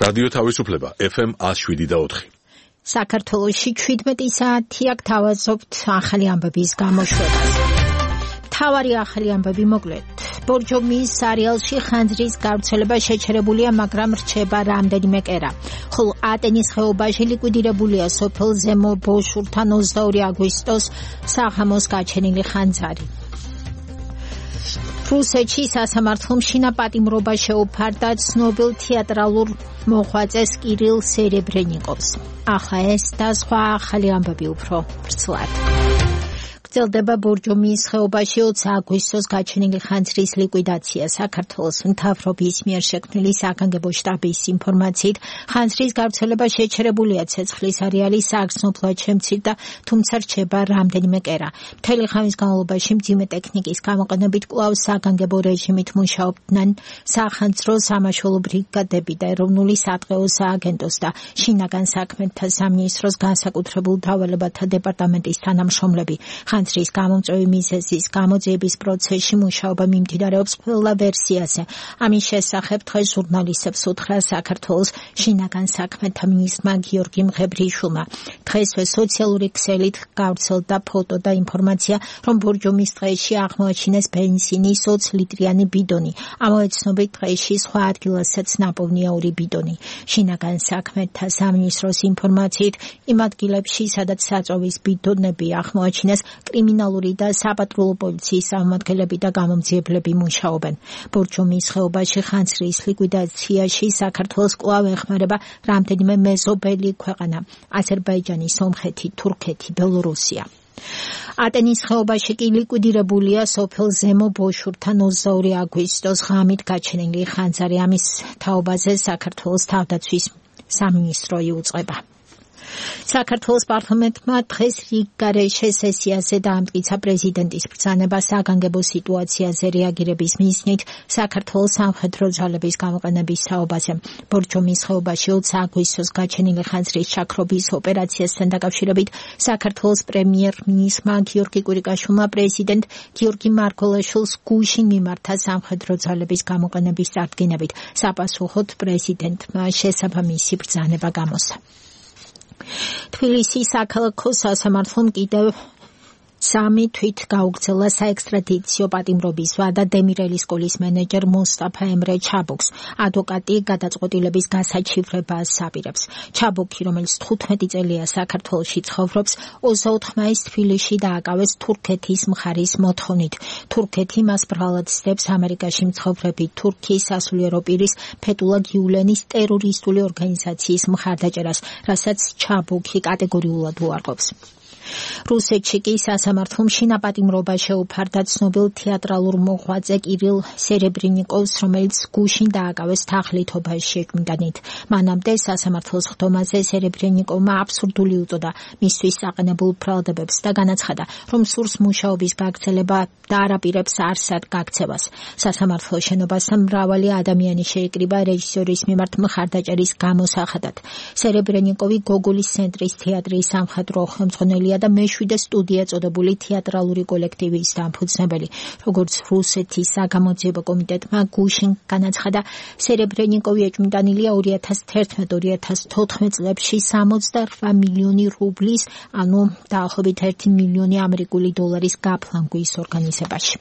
რადიო თავისუფლება FM 107.4. საქართველოში 17 საათი აქ თავაზობთ ახალი ამბების გამოშვებას. მთავარი ახალი ამბები მოკლედ. ბორჯომის სერიალში ხანძრის გავრცელება შეჩერებულია, მაგრამ რჩება რამდენიმე კერა. ხოლო ატენის ხეობაში ლიკვიდირებულია სოფელ ზემო ბოშურთან 22 აგვისტოს საღამოს გაჩენილი ხანძარი. რუსეთში სასამართლომ შინაპატიმრობა შეუფარდა ცნობილ თეატრალურ მოღვაწეს კირილ სერებრენიკოვს. ახლა ეს და სხვა ახალი ამბები უფრო ვრცლად. გრძელდება ბორჯომის ხეობაში 20 აგვისტოს გაჩენილი ხანძრის ლიკვიდაცია. საქართველოს მთავრობის მიერ შექმნილი საგანგებო შტაბის ინფორმაციით, ხანძრის გავრცელება შეჩერებულია ცეცხლის არეალის საგრძნობლად შემცირდა, თუმცა რჩება რამდენიმე კერა. მთელი ხამის განმავლობაში მძიმე ტექნიკის გამოყენებით კვლავ საგანგებო რეჟიმით მუშაობდნენ სახანძრო სამაშველო ბრიგადები და ეროვნული სატყეო სააგენტოს და შინაგან საქმეთა სამინისტროს განსაკუთრებულ დავალებათა დეპარტამენტის თანამშრომლები. ხანძრის გამომწვევი მიზეზის გამოძიების პროცესში მუშაობა მიმდინარეობს ყველა ვერსიაზე. ამის შესახებ დღეს ჟურნალისტებს უთხრა საქართველოს შინაგან საქმეთა მინისტრმა გიორგი მღებრიშვილმა. დღესვე სოციალური ქსელით გავრცელდა ფოტო და ინფორმაცია, რომ ბორჯომის ტყეში აღმოაჩინეს ბენზინის 20 ლიტრიანი ბიდონი. ამავე ცნობით ტყეში სხვა ადგილასაც ნაპოვნია 2 ბიდონი. შინაგან საქმეთა სამინისტროს ინფორმაციით, იმ ადგილებში, სადაც საწვავის ბიდონები აღმოაჩინეს, კრიმინალური და საპატრულო პოლიციის წარმომადგენლები და გამომძიებლები მუშაობენ. ბორჯომის ხეობაში ხანძრის ლიკვიდაციაში საქართველოს კვლავ ეხმარება რამდენიმე მეზობელი ქვეყანა: აზერბაიჯანი, სომხეთი, თურქეთი, ბელორუსია. ატენის ხეობაში კი ლიკვიდირებულია სოფელ ზემო ბოშურთან 22 აგვისტოს ღამით გაჩენილი ხანძარი. ამის თაობაზე საქართველოს თავდაცვის სამინისტრო იუწყება. საქართველოს პარლამენტმა დღეს რიგგარეშე სესიაზე დაამტკიცა პრეზიდენტის ბრძანება საგანგებო სიტუაციაზე რეაგირების მიზნით საქართველოს სამხედრო ძალების გამოყენების თაობაზე. ბორჯომის ხეობაში 20 აგვისტოს გაჩენილი ხანძრის ჩაქრობის ოპერაციასთან დაკავშირებით საქართველოს პრემიერ-მინისტრმა გიორგი კვირიკაშვილმა პრეზიდენტ გიორგი მარგველაშვილს გუშინ მიმართა სამხედრო ძალების გამოყენების წარდგენებით. საპასუხოდ პრეზიდენტმა შესაბამისი ბრძანება გამოსცა. თბილისის საქალაქო სასამართლომ კიდევ 3 თვით გაუგრძელა საექსტრადიციო პატიმრობის ვადა დემირელის სკოლის მენეჯერ მოსტაფა ემრე ჩაბუქს. ადვოკატი გადაწყვეტილების გასაჩივრებას აპირებს. ჩაბუქი, რომელიც 15 წელია საქართველოში ცხოვრობს, 24 მაისს თბილისში დააკავეს თურქეთის მხარის მოთხოვნით. თურქეთი მას ბრალად ცდებს ამერიკაში მცხოვრები თურქიის სასულიერო პირის ფეტულა გიულენის ტერორისტული ორგანიზაციის მხარდაჭერას, რასაც ჩაბუქი კატეგორიულად უარყოფს. რუსეთში კი სასამართლომ შინაპატიმრობა შეუფარდა ცნობილ თეატრალურ მოღვაწე კირილ სერებრენიკოვს, რომელიც გუშინ დააკავეს თაღლითობაში შეჭმდანით. მანამდე სასამართლოს ხდომაზე სერებრენიკოვმა აბსურდული უწოდა მისთვის საყენებულ ბრალდებებს და განაცხადა, რომ სურს მუშაობის გაგრძელება და არაპირებს არსად გაქცევას. სასამართლოს შენობასთან მრავალი ადამიანი შეიკრიბა რეჟისორის მიმართ მხარდაჭერის გამოსახადად. სერებრენიკოვი გოგოლის ცენტრის თეატრის სამხატვრო ხელმძღვანელია და მეშვიდე სტუდია წოდებული თეატრალური კოლექტივის დამფუძნებელი. როგორც რუსეთის საგამოძიებო კომიტეტმა გუშინ განაცხადა, სერებრენიკოვი ეჭვმიტანილია 2011-2014 წლებში 68 მილიონი რუბლის, ანუ დაახლოებით 1 მილიონი ამერიკული დოლარის გაფლანგვის ორგანიზებაში.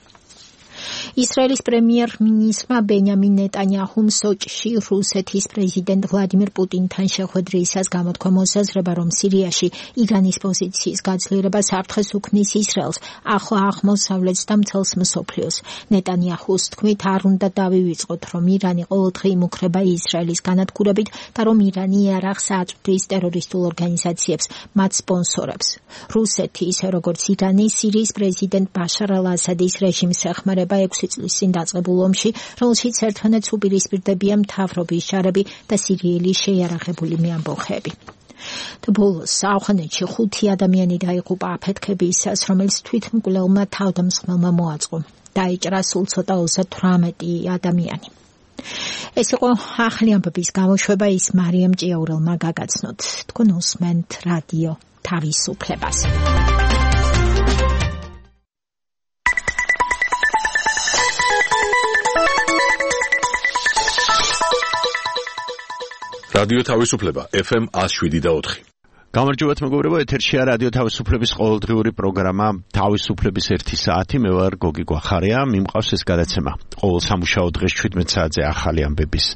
ისრაელის პრემიერ-მინისტრმა ბენიამინ ნეტანიაჰუმ სოჭში რუსეთის პრეზიდენტ ვლადიმირ პუტინთან შეხვედრისას გამოთქვა მოსაზრება, რომ სირიაში ირანის პოზიციის გაძლიერება საფრთხეს უქმნის ისრაელს, ახლო აღმოსავლეთს და მთელს მსოფლიოს. ნეტანიაჰუს თქმით, არ უნდა დავივიწყოთ, რომ ირანი ყოველდღე იმუქრება ისრაელის განადგურებით და რომ ირანი იარაღს აწვდის ტერორისტულ ორგანიზაციებს, მათ სპონსორებს. რუსეთი, ისე როგორც ირანი, სირიის პრეზიდენტ ბაშარ ალ-ასადის რეჟიმს ეხმარება 6 წლის წინ დაწყებულ ომში, რომელშიც ერთმანეთს უპირისპირდებიან მთავრობის ჯარები და სირიელი შეიარაღებული მეამბოხეები. ბოლოს ავღანეთში 5 ადამიანი დაიღუპა აფეთქებისას, რომელიც თვითმკვლელმა თავდამსხმელმა მოაწყო. დაიჭრა სულ ცოტა 38 ადამიანი. ეს იყო ახალი ამბების გამოშვება, ის მარიამ ჭიაურელმა გაგაცნოთ. თქვენ უსმენთ რადიო თავისუფლებას. რადიო თავისუფლება FM 107.4. გამარჯობათ მეგობრებო, ეთერშია რადიო თავისუფლების ყოველდღიური პროგრამა თავისუფლების 1 საათი. მე ვარ გოგი გვახარია, მიმყავს ეს გადაცემა. ყოველ სამუშაო დღეს 17 საათზე ახალი ამბების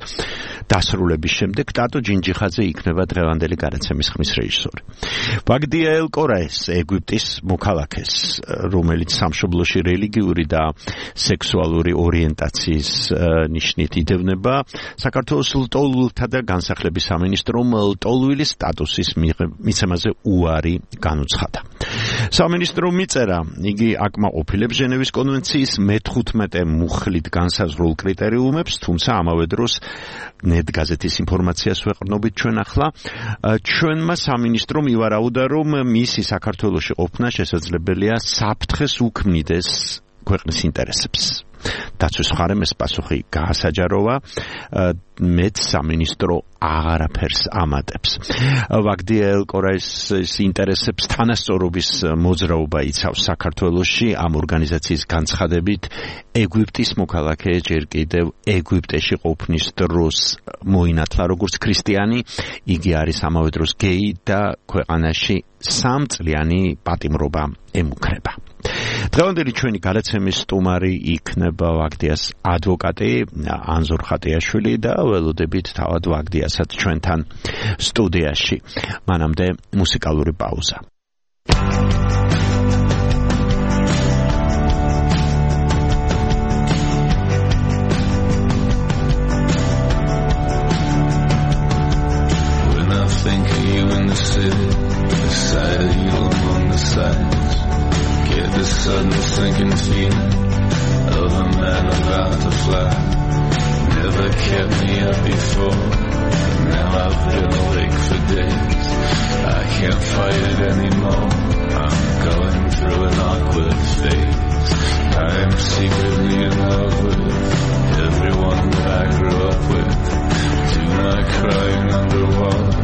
დასრულების შემდეგ ტატო ჯინჯიხაძე იქნება დღევანდელი გადაცემის ხმის რეჟისორი. ვაგდია ელ-კორაეს, ეგვიპტის მოქალაქეს, რომელიც სამშობლოში რელიგიური და სექსუალური ორიენტაციის ნიშნით იდევნება, საქართველოს ლტოლვილთა და განსახლების სამინისტრომ ლტოლვილის სტატუსის მიცემაზე უარი განუცხადა. სამინისტრო მიწერა, იგი აკმაყოფილებს ჟენევის კონვენციის მე-15 მუხლით განსაზღვრულ კრიტერიუმებს, თუმცა ამავე დროს ნეტ გაზეთის ინფორმაციას ვეყრდნობით ჩვენ ახლა. ჩვენმა სამინისტრომ ივარაუდა, რომ მისი საქართველოში ყოფნა შესაძლებელია საფრთხეს უქმნიდეს ქვეყნის ინტერესებს. დაცვის მხარემ ეს პასუხი გაასაჯაროვა, მეც სამინისტრო აღარაფერს ამატებს. ვაგდია ელ-კორაის ინტერესებს თანასწორობის მოძრაობა იცავს საქართველოში. ამ ორგანიზაციის განცხადებით, ეგვიპტის მოქალაქე ჯერ კიდევ ეგვიპტეში ყოფნის დროს მოინათლა როგორც ქრისტიანი, იგი არის ამავე დროს გეი და ქვეყანაში 3 წლიანი პატიმრობა ემუქრება. დღევანდელი ჩვენი გადაცემის სტუმარი იქნება ვაგდიას ადვოკატი ანზორ ხატიაშვილი და ველოდებით თავად ვაგდიასაც ჩვენთან სტუდიაში. მანამდე მუსიკალური პაუზა. When I think of you in the city, beside you among the sights, get this sudden sinking feeling of a man about to fly. Never kept me up before, now I've been awake for days. I can't fight it anymore, I'm going through an awkward phase. I am secretly in love with everyone that I grew up with. Do my crying underwater,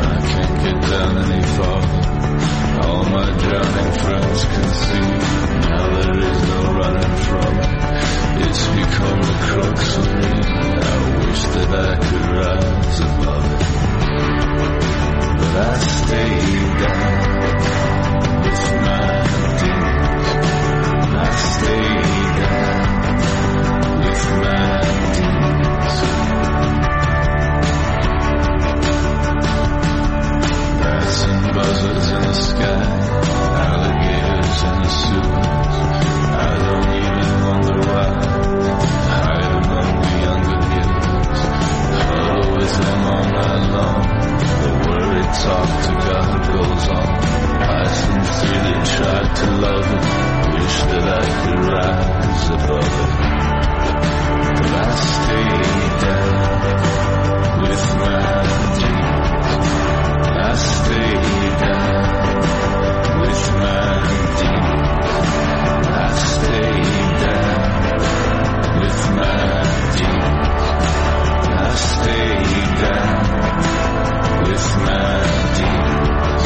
I can't get down any farther. All my drowning friends can see, now there is no running from it. It's become the crux of me, I wish that I could rise above it. But I stay down with my demons. I stay down with my demons. Bats and buzzards in the sky, alligators in the sewers. I don't even wonder why. Hide among the younger kids, huddle with them all night long. The worried talk to God goes on. I sincerely tried to love it, wish that I could rise above it. But I stay down with my demons. I stay down with my demons. I stay down with my demons. I stay down with my demons.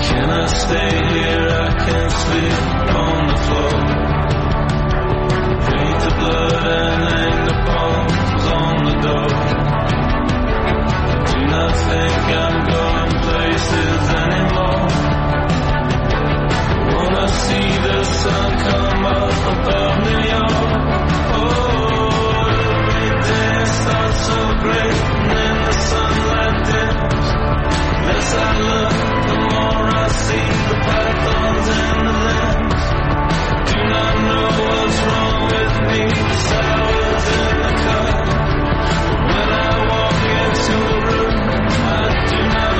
Can I stay here? I can't sleep on the floor. Paint the blood and hang the palms on the door. Do not think I'm going places anymore. Wanna see the sun come up above New York. Oh, every day starts so great, and then the sunlight dims. Less I look, the more I see the pythons and the limbs. Do not know what's wrong with me, the sours in the cup. When I walk into a room, I do not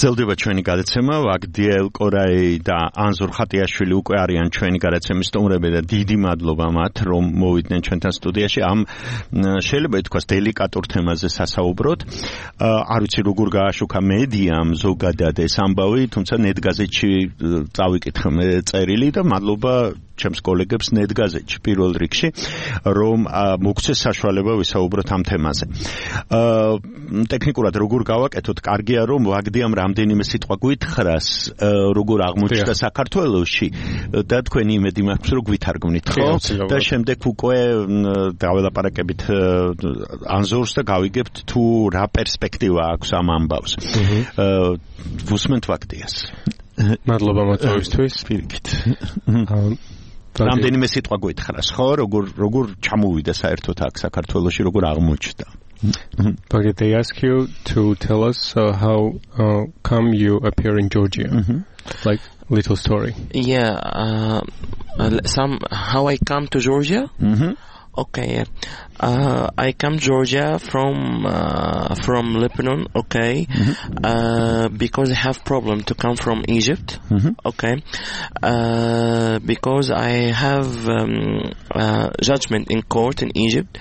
გრძელდება ჩვენი გადაცემა. ვაგდიელ კორაი და ანზორ ხატიაშვილი უკვე არიან ჩვენი გადაცემის სტუმრები და დიდი მადლობა მათ, რომ მოვიდნენ ჩვენთან სტუდიაში. ამ შეიძლება ითქვას დელიკატურ თემაზე სასაუბროთ. არ ვიცი როგორ გააშუქა მედიამ ზოგადად ეს ამბავი, თუმცა ნეტგაზეთში წავიკითხე მე წერილი და მადლობა ჩემს კოლეგებს ნეტგაზეთში პირველ რიგში, რომ მოგცეს საშუალება ვისაუბროთ ამ თემაზე. ტექნიკურად როგორ გავაკეთოთ? კარგია რომ ვაგდიამ რამდენიმე სიტყვა გვითხრას, როგორ აღმოჩნდა საქართველოში და თქვენი იმედი მაქვს რომ გვითარგმნით, ხო? და შემდეგ უკვე დაველაპარაკებით ანზორს და გავიგებთ თუ რა პერსპექტივა აქვს ამ ამბავს. ვუსმენთ ვაგდიას. მადლობა მოწვევისთვის. პირიქით. რამდენიმე სიტყვა გვითხრას, ხო? როგორ ჩამოვიდა საერთოდ აქ საქართველოში, როგორ აღმოჩნდა? But they ask you to tell us how come you appear in Georgia, like little story. Yeah, how I come to Georgia. Okay, I come Georgia from Lebanon. Okay, because I have problem to come from Egypt. Okay, because I have judgment in court in Egypt.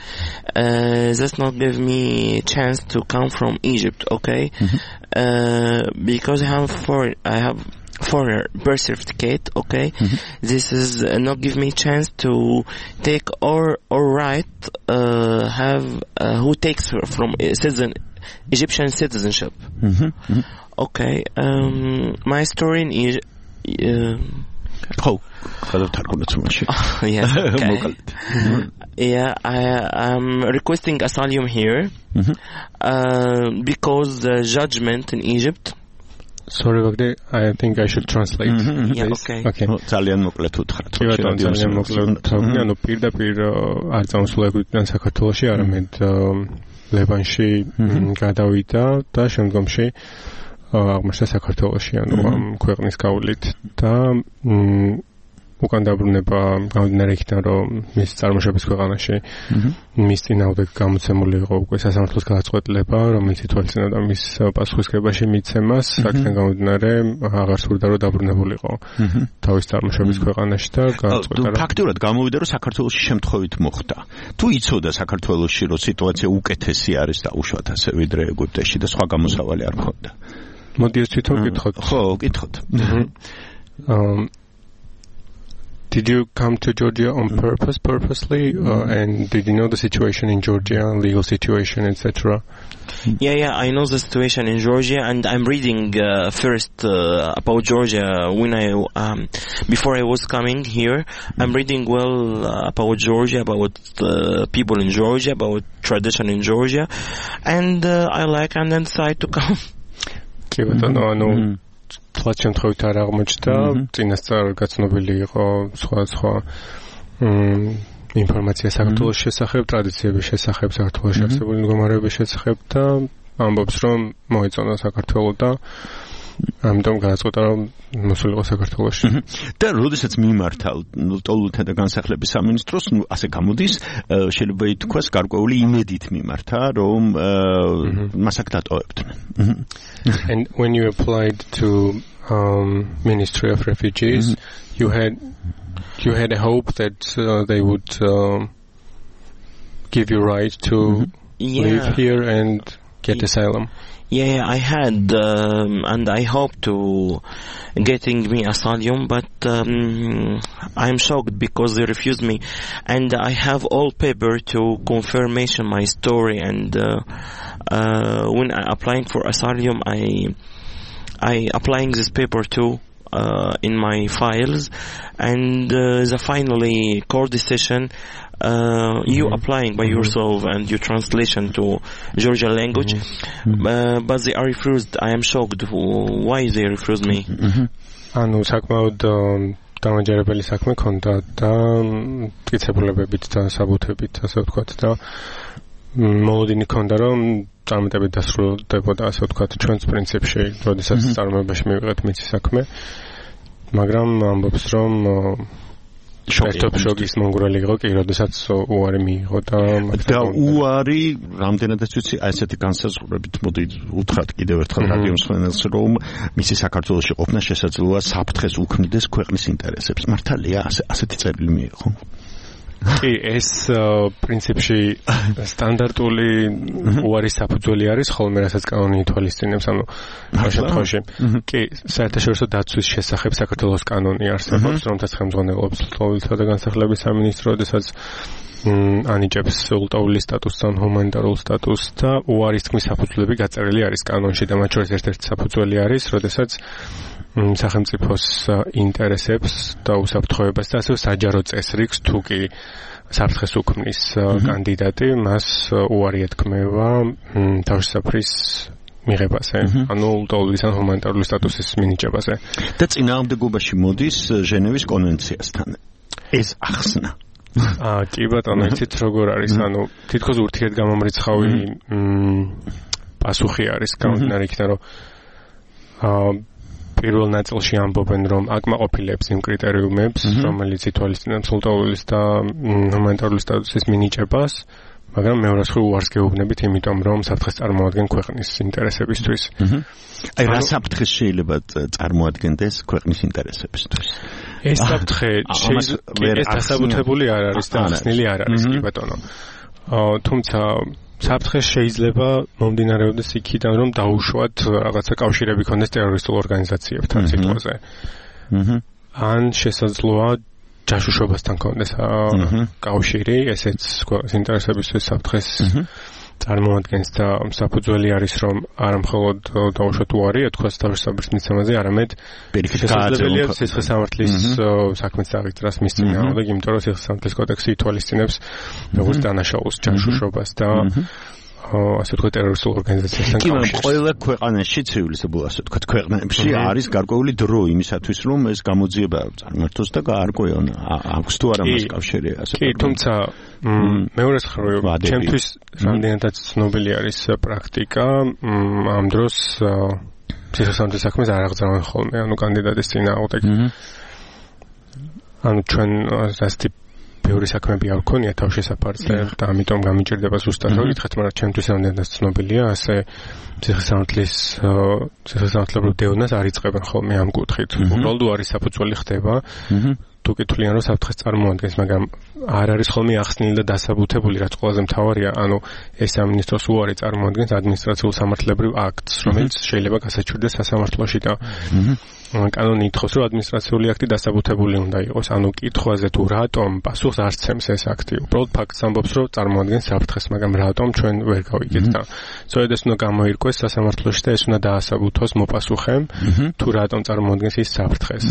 That's not give me chance to come from Egypt. Okay, because I have foreign birth certificate. Okay, this is not give me chance to take or right who takes from Egyptian citizenship. Okay, my story in Egypt. Yeah, I'm requesting asylum here because the judgment in Egypt. Sorry, Vagde, I think I should translate. Yeah, okay. ძალიან მოკლედ უთხრათ. ძალიან მოკლედ. ანუ პირდაპირ არ წამოსულებიდან საქართველოში, არამედ ლებანში გადავიდა და შემდგომში აღმოჩნდა საქართველოში, ანუ ამ ქვეყნის გავლით და უკან დაბრუნება გამომდინარე იქიდან, რომ მის წარმოშობის ქვეყანაში მის წინააღმდეგ გამოცემული იყო უკვე სასამართლოს გადაწყვეტილება, რომელიც ითვალისწინებდა მის პასუხისგებაში მიცემას, აქედან გამომდინარე აღარ სურდა რომ დაბრუნებულიყო თავის წარმოშობის ქვეყანაში და გადაწყვეტა რომ ფაქტურად გამოვიდა რომ საქართველოში შემთხვევით მოხდა. თუ იცოდა საქართველოში რომ სიტუაცია უკეთესი არის დაუშვათ ასე ვიდრე ეგვიპტეში და სხვა გამოსავალი არ ქონდა. მოდი ეს თვითონ გითხოთ. ხო, გითხოთ. Did you come to Georgia on purposely, and did you know the situation in Georgia, legal situation, etc.? Yeah, I know the situation in Georgia, and I'm reading first about Georgia when before I was coming here. I'm reading well about Georgia, about people in Georgia, about tradition in Georgia, and I like and decide to come. თვალ შემთხვევით არ აღმოჩნდა, წინასწარ გაცნობილი იყო სხვა ინფორმაცია საქართველოს შესახებ, ტრადიციების შესახებ, საქართველოში არსებული მდგომარეობის შესახებ და ამბობს, რომ მოეწონა საქართველო და ამიტომ გადაწყვეტა, რომ მოსულიყო საქართველოში. და როდესაც მიმართა ტოლულთა და განსახლების სამინისტროს, ასე გამოდის, შეიძლება ითქვას გარკვეული იმედით მიმართა, რომ მას აქ დატოვებდნენ. And when you applied to Ministry of Refugees, you had a hope that they would give you right to live here and get asylum. Yeah, I had, and I hope to getting me asylum, but I'm shocked because they refused me, and I have all paper to confirmation my story. And when I applying for asylum, I applying this paper too in my files, and the finally court decision. You applying by yourself and your translation to Georgian language, but they are refused. I am shocked. Why they refused me? ანუ საკმაოდ დამაჯერებელი საქმე ქონდა და მტკიცებულებებით და საბუთებით, ასე ვთქვათ, და მოლოდინი ქონდა, რომ წარმატებით დასრულდებოდა, ასე ვთქვათ, ჩვენს პრინციპში, როდესაც წარმოებაში მივიღეთ მიცი საქმე, მაგრამ ამბობს, რომ შოკის მონგრელი იყო კი, როდესაც უარი მიიღო და უარი რამდენადაც ვიცი, აი ესეთი განსაზღვრებით მოდი უთხრათ კიდევ ერთხელ რადიო მსმენელს, რომ მისი საქართველოში ყოფნა შესაძლოა საფრთხეს უქმნიდეს ქვეყნის ინტერესებს. მართალია ასეთი წერილი მიიღო? კი, ეს პრინციპში სტანდარტული უარის საფუძველი არის, ხოლმე რასაც კანონი ითვალისწინებს, ანუ ამ შემთხვევაში. კი, საერთაშორისო დაცვის შესახებ საქართველოს კანონი არსებობს, რომელთაც ხელმძღვანელობს ლტოლვილთა და განსახლების სამინისტრო, როდესაც ანიჭებს ულტაული სტატუსს ან ჰუმანიტარულ სტატუსს და უარის თქმის საფუძვლები გაწერილი არის კანონში და მათ შორის ერთ-ერთი საფუძველი არის, როდესაც სახელმწიფოს ინტერესებს და უსაფრთხოებას და ასევე საჯარო წესრიგს თუ კი საფრთხეს უქმნის კანდიდატი, მას უარი ეთქმევა თავშესაფრის მიღებაზე, ანუ ულტაულის ან ჰუმანიტარული სტატუსის მინიჭებაზე. და წინააღმდეგობაში მოდის ჟენევის კონვენციასთან. ეს ახსნა. კი ბატონო, იცით როგორ არის, ანუ თითქოს ურთიერთგამომრიცხავი პასუხი არის გამომდინარე იქიდან, რომ პირველ ნაწილში ამბობენ, რომ აკმაყოფილებს იმ კრიტერიუმებს, რომელიც ითვალისწინებს ულტაულის და ჰუმანიტარული სტატუსის მინიჭებას, მაგრამ მეორე მხრივ უარს გეუბნებით, იმიტომ რომ საფრთხეს წარმოადგენს ქვეყნის ინტერესებისთვის. აი რა საფრთხეს შეიძლება წარმოადგენდეს ქვეყნის ინტერესებისთვის? ეს საფრთხე ეს დასაბუთებული არ არის და ახსნილი არ არის, კი ბატონო. თუმცა საფრთხე შეიძლება მომდინარეობდეს იქიდან, რომ დაუშვათ რაღაცა კავშირები ქონდეს ტერორისტულ ორგანიზაციებთან სიტყვაზე. ან შესაძლოა ჯაშუშობასთან ქონდეს კავშირი, ესეც ინტერესებისთვის საფრთხეს წარმოადგენს და საფუძველი არის, რომ არა მხოლოდ დაუშვათ უარი ეთქვას თავშესაფრის მიცემაზე, არამედ შესაძლებელია სისხლისამართლის საქმეც აღიძრას მის წინააღმდეგ, იმიტომ რომ სისხლისამართლის კოდექსი ითვალისწინებს როგორც დანაშაულს, ჯაშუშობას და ასე ვთქვათ ტერორისტულ ორგანიზაციასთან კავშირს. კი, ყველა ქვეყანაში ცივილიზებულ ასე ვთქვათ ქვეყნებში არის გარკვეული დრო იმისათვის, რომ ეს გამოძიება წარმართოს და გაარკვევან აქვს თუ არა მას კავშირი ასე. კი, თუმცა მეორეს მხრივ ჩემთვის რამდენადაც ცნობილი არის პრაქტიკა, ამ დროს სისხლისამართლის საქმეს არ აღძრავენ ხოლმე, ანუ კანდიდატის წინააღმდეგ. ანუ ჩვენ ასეთი ბევრი საქმეები არ გქონია თავშესაფარზე და ამიტომ გამიჭირდება ზუსტად რომ გითხრათ, მაგრამ ჩემთვის რამდენადაც ცნობილია, ასე სისხლისამართლებრივ დევნას არ იწყებენ ხოლმე ამ კუთხით. უბრალოდ უარის საფუძველი ხდება თუ კითხულიან რომ საფრთხეს წარმოადგენს, მაგრამ არ არის ხოლმე ახსნილი და დასაბუთებული, რაც ყველაზე მთავარია, ანუ ეს სამინისტროს უარი წარმოადგენს ადმინისტრაციულ სამართლებრივ აქტს, რომელიც შეიძლება გასაჩვირდეს სასამართლოში და კანონი ითხოვს, რომ ადმინისტრაციული აქტი დასაბუთებული უნდა იყოს, ანუ კითხვაზე თუ რატომ პასუხს არ სცემს ეს აქტი. უბრალოდ ფაქტს ამბობს, რომ წარმოადგენს საფრთხეს, მაგრამ რატომ ჩვენ ვერ გავიგეთ და სწორედ ეს უნდა გამოირკვეს სასამართლოში და ეს უნდა დაასაბუთოს მოპასუხემ, თუ რატომ წარმოადგენს ის საფრთხეს.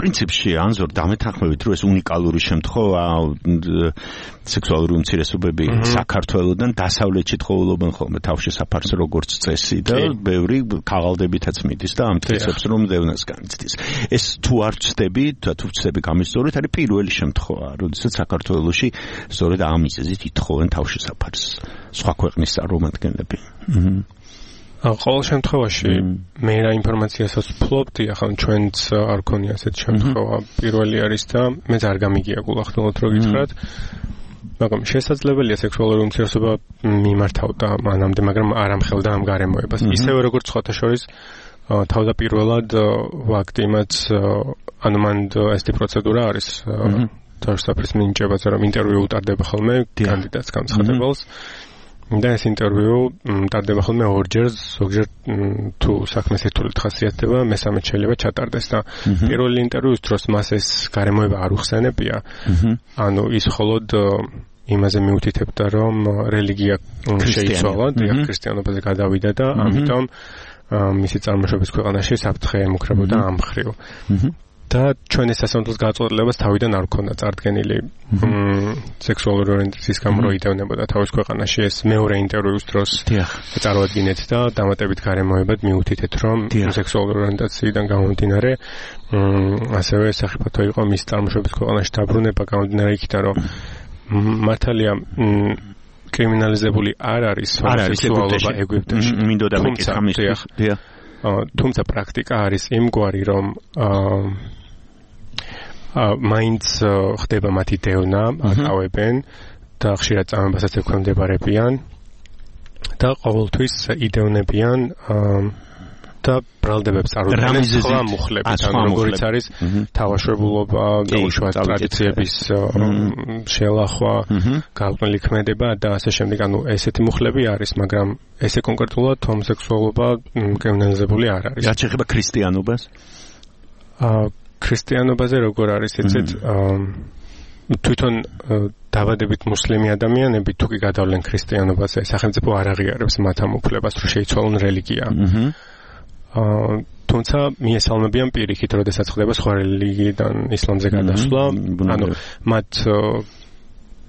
პრინციპში ანზორ დამეთანხმებით, რომ ეს უნიკალური შემთხვევა სექსუალური უმცირესობები საქართველოსდან დასავლეთში თხოვლობენ ხოლმე თავშესაფარს როგორც წესი და ბევრი ქაღალდებითაც მიდის და ამტკიცებს რომ დევნას განიცდის. ეს თუ არ ვწდები, თუ ვწდები გამისწორეთ, არის პირველი შემთხვევა, როდესაც საქართველოში სწორედ ამ მიზეზით ითხოვენ თავშესაფარს სხვა ქვეყნის წარმომადგენლები. ყოველ შემთხვევაში მე რა ინფორმაციასაც ვფლობდი, ახლა ჩვენც არ ქონია ასეთ შემთხვევა, პირველი არის და მეც არ გამიგია გულახდილად რო გითხრათ. მაგრამ შესაძლებელია სექსუალური უმცირესობა მიმართავდა მანამდე, მაგრამ არ ამხელდა ამ გარემოებას. ისევე როგორც სხვათა შორის თავდაპირველად ვაქტი იმაც, ანუ მან ესეთი პროცედურა არის თავშესაფრის მინიჭებაზე, რომ ინტერვიუ უტარდება ხოლმე კანდიდატს განცხადებელს. და ეს ინტერვიუ ტარდება ხოლმე ორჯერ, ზოგჯერ თუ საქმე სირთულით ხასიათდება, მესამე შეიძლება ჩატარდეს და პირველი ინტერვიუს დროს მას ეს გარემოება არ უხსენებია. ანუ ის მხოლოდ იმაზე მიუთითებდა, რომ რელიგია შეიცვალა, ქრისტიანობაზე გადავიდა და ამიტომ მისი წარმოშობის ქვეყანაში საფრთხე ემუქრებოდა ამ მხრივ. და ჩვენ ეს სასამართლოს გაწყვეტილებას თავიდან არ ქონდა წარდგენილი სექსუალური ორიენტაციის გამო რო იდევნებოდა თავის ქვეყანაში, ეს მეორე ინტერვიუს დროს წარუადგინეთ და დამატებით გარემოებად მიუთითეთ, რომ სექსუალური ორიენტაციიდან გამომდინარე ასევე საფრთხე იყო მის წარმოშობის ქვეყანაში დაბრუნება, გამომდინარე იქიდან, რომ მართალია კრიმინალიზებული არ არის სექსუალობა ეგვიპტეში. მინდოდა მეკითხა ამისთვის. თუმცა პრაქტიკა არის იმგვარი, რომ მაინც ხდება მათი დევნა, აკავებენ და ხშირად წამებასაც ექვემდებარებიან და ყოველთვის იდევნებიან და ბრალდებებს წარუდგენენ სხვა მუხლებით, ანუ როგორიც არის თავშეებულობა, უშუალოდ ტრადიციების შელახვა, გაყრდნილი ქმედება და ასე შემდეგ, ანუ ესეთი მუხლები არის, მაგრამ ესე კონკრეტულად ჰომოსექსუალობა კრიმინალიზებული არ არის. რაც ეხება ქრისტიანობას? ქრისტიანობაზე როგორ არის, იცით, თვითონ დაბადებით მუსლიმი ადამიანები თუ კი გადავლენ ქრისტიანობაზე, სახელმწიფო არ აღიარებს მათ ამ უფლებას, რომ შეიცვალონ რელიგია. თუმცა მიესალმებიან პირიქით, როდესაც ხდება სხვა რელიგიიდან ისლამზე გადასვლა, ანუ მათ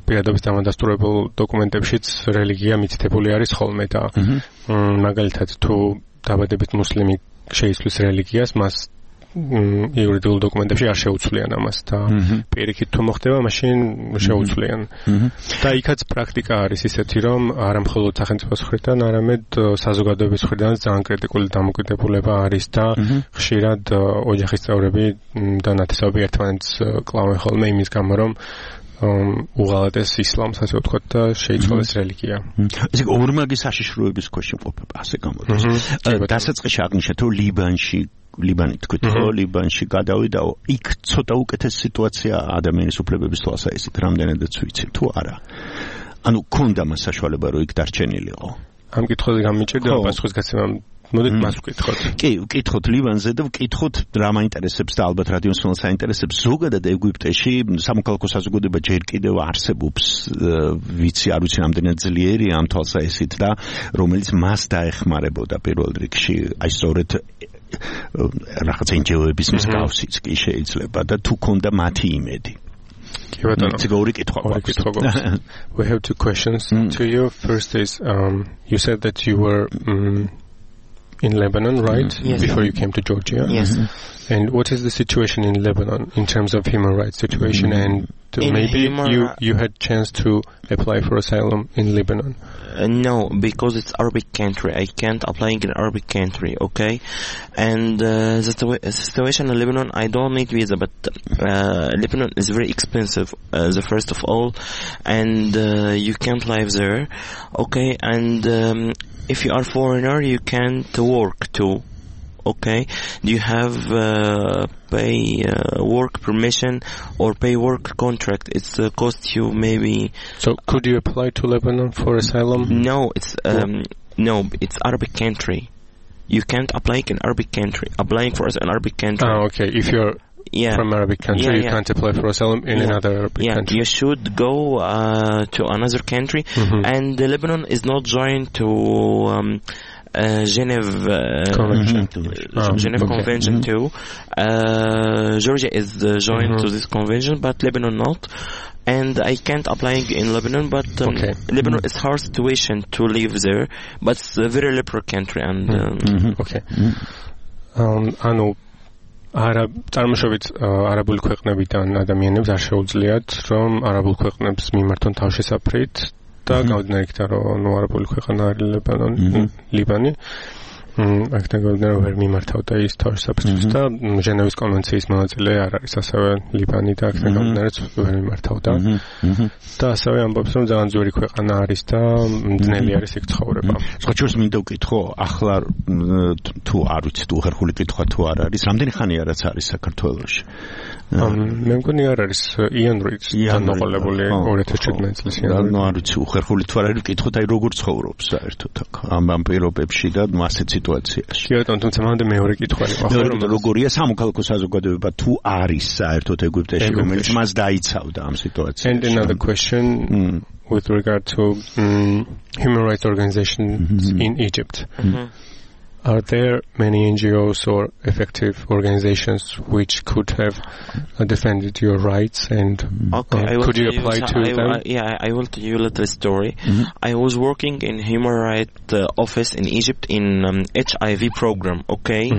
პირადობის დამადასტურებულ დოკუმენტებშიც რელიგია მითითებული არის ხოლმე და მაგალითად თუ დაბადებით მუსლიმი შეიცვლის რელიგიას, მას იურიდიულ დოკუმენტებში არ შეუცვლიან ამას და პირიქით თუ მოხდება, მაშინ შეუცვლიან. და იქაც პრაქტიკა არის ისეთი, რომ არა მხოლოდ სახელმწიფოს მხრიდან, არამედ საზოგადოების მხრიდან ძალიან კრიტიკული დამოკიდებულება არის და ხშირად ოჯახის წევრები და ნათესავები ერთმანეთს კლავენ ხოლმე იმის გამო, რომ უღალატეს ისლამს, ასე ვთქვათ, და შეიცვალეს რელიგია. ესე ორმაგი საშიშროების ქვეშ იმყოფება, ასე გამოდის. დასაწყისში აღნიშნეთ, რომ ლიბანი თქვით, რომ ლიბანში გადავიდაო, იქ ცოტა უკეთესი სიტუაცია ადამიანის უფლებების თვალსაზრისით, რამდენადაც ვიცი, თუ არა. ანუ ქონდა მას საშუალება, რომ იქ დარჩენილიყო. ამ კითხვაზე გამიჭირდება პასუხის გაცემა. მოდით მას ვკითხოთ. კი, ვკითხოთ ლიბანზე და ვკითხოთ რა მაინტერესებს და ალბათ რადიოსმენელს აინტერესებს. ზოგადად ეგვიპტეში სამოქალაქო საზოგადოება ჯერ კიდევ არსებობს, ვიცი, არ ვიცი რამდენად ძლიერია ამ თვალსაზრისით და რომელიც მას დაეხმარებოდა პირველ რიგში, აი სწორედ რაღაც NGO-ების მსგავსიც კი შეიძლება და თუ ქონდა მათი იმედი. კი ბატონო. ორი კითხვა გვაქვს. We have two questions to you. First is you said that you were in Lebanon, right? Yes. Before you came to Georgia. Yes. And what is the situation in Lebanon in terms of human rights situation? And maybe you had chance to apply for asylum in Lebanon. No, because it's Arabic country. I can't apply in Arabic country, okay? And the situation in Lebanon, I don't need visa, but Lebanon is very expensive, the first of all, and you can't live there, okay? And if you are foreigner, you can't work too. Okay, do you have pay work permission or pay work contract? It's cost you maybe. So could you apply to Lebanon for asylum? No, it's Arabic country. You can't apply in Arabic country. Applying for an Arabic country. Oh, okay. If you're from Arabic country, you can't apply for asylum in another Arabic country. You should go to another country, and Lebanon is not joined to. Geneva Convention too. Georgia is joined to this convention, but Lebanon not. And I can't apply in Lebanon, but Lebanon is hard situation to live there, but it's a very liberal country. And okay. ანუ წარმოშობით არაბული ქვეყნებიდან ადამიანებს არ შეუძლიათ რომ არაბულ ქვეყნებს მიმართონ თავშესაფრით და გამოდნარი იქიდან რომ არაბული ქვეყანა არის ლიბანი აქედან გამოდნარი ვერ მიმართავდა ის თავშესაფრისთვის და ჟენევის კონვენციის მონაწილე არ არის ასევე ლიბანი და აქედან გამოდნარიც ვერ მიმართავდა და ასევე ამბობს რომ ძალიან ძვირი ქვეყანა არის და მძნელი არის იქ ცხოვრება. სწორედ მინდა ვკითხო, ახლა თუ არ ვიცი თუ ხერხული კითხვა თუ არ არის, რამდენი ხანია რაც არის საქართველოში? მე მგონი არ არის იანვრით დანოყოლებული 2017 წლის იანვრით. ნუ არ ვიცი ხერხული თუ არ არის ვკითხოთ, აი როგორ ცხოვრობს საერთოდ აქ ამ პირობებში და ასეთ სიტუაციაში. კი ბატონო, თუმცა მანდ მეორე კითხვა იყო, რომ როგორია სამოქალაქო საზოგადოება თუ არის საერთოდ ეგვიპტეში, რომელიც მას დაიცავდა ამ სიტუაციაში. And another question with regard to human rights organizations in Egypt. Are there many NGOs or effective organizations which could have defended your rights and could you apply to them? I will tell you a little story. I was working in human rights office in Egypt in HIV program, okay?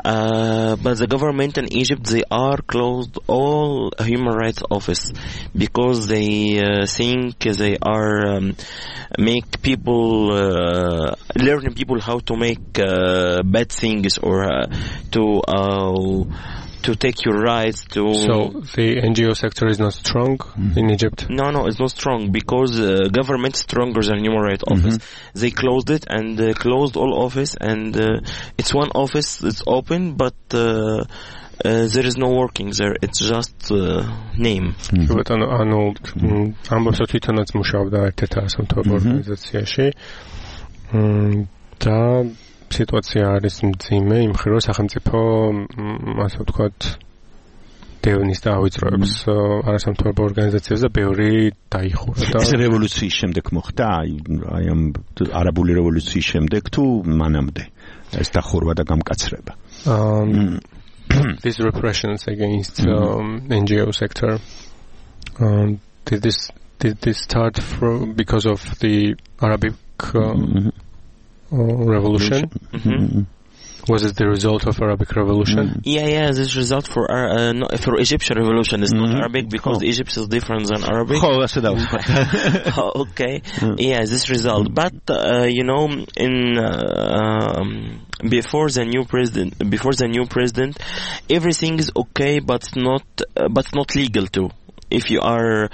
But the government in Egypt, they are closed all human rights office because they think they are make people learning people how to make bad things or to to take your rights to. So the NGO sector is not strong in Egypt. No, it's not strong because government is stronger than Human Rights Office. They closed it and closed all office, and it's one office that's open, but there is no working there. It's just name. But ანუ ამბობს თვითონაც მუშაობდა ერთ-ერთ არასამთავრობო ორგანიზაციაში. და სიტუაცია არის მძიმე იმ მხრივ რომ სახელმწიფო ასე ვთქვათ დევნის და ავიწროებს არასამთავრობო ორგანიზაციებს და ბევრი დაიხურა და ეს რევოლუციის შემდეგ მოხდა აი ამ არაბული რევოლუციის შემდეგ თუ მანამდე ეს დახურვა და გამკაცრება these repressions against NGO sector did this start because of the Arabic revolution? Was it the result of Arabic revolution? Yeah, this result for Egyptian revolution is not Arabic because Egypt is different than Arabic. Okay. Yeah, this result. But in before the new president, everything is okay, but not legal too. If you are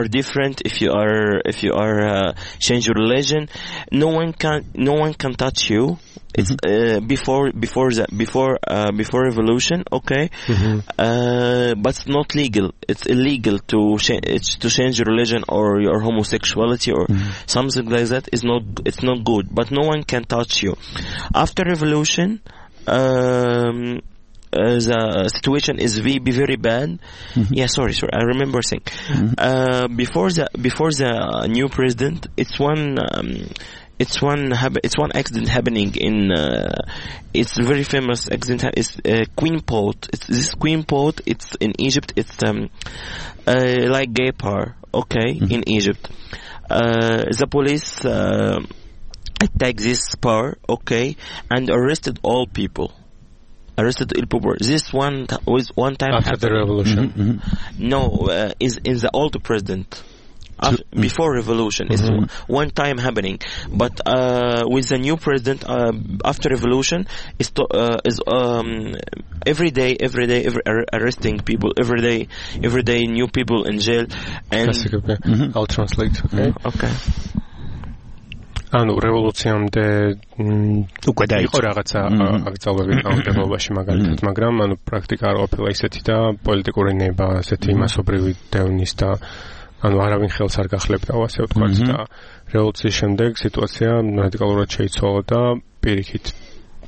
different, if you are change your religion, no one can touch you. It's before revolution, okay, but it's not legal. It's illegal to change your religion or your homosexuality or something like that. It's not good. But no one can touch you. After revolution, the situation is very bad. Yeah, sorry. I remember saying before the new president, it's one accident happening in it's a very famous accident. It's Queen Port. This Queen Port. It's in Egypt. It's like gay bar. Okay, in Egypt, the police attacked this bar. Okay, and arrested all people. This one was one time after the revolution. No, is in the old president. Before revolution is one time happening, but with the new president after revolution is every day arresting people, every day new people in jail. And I'll translate. Okay. ანუ რევოლუციამდე უკვე იყო რაღაცა აკრძალვები კანონმდებლობაში მაგალითად, მაგრამ ანუ პრაქტიკა არ ყოფილა ისეთი და პოლიტიკური ნება, ასეთი მასობრივი დევნის და ანუ არავინ ხელს არ გახლებდა, ასე ვთქვათ და რევოლუციის შემდეგ სიტუაცია რადიკალურად შეიცვალა და პირიქით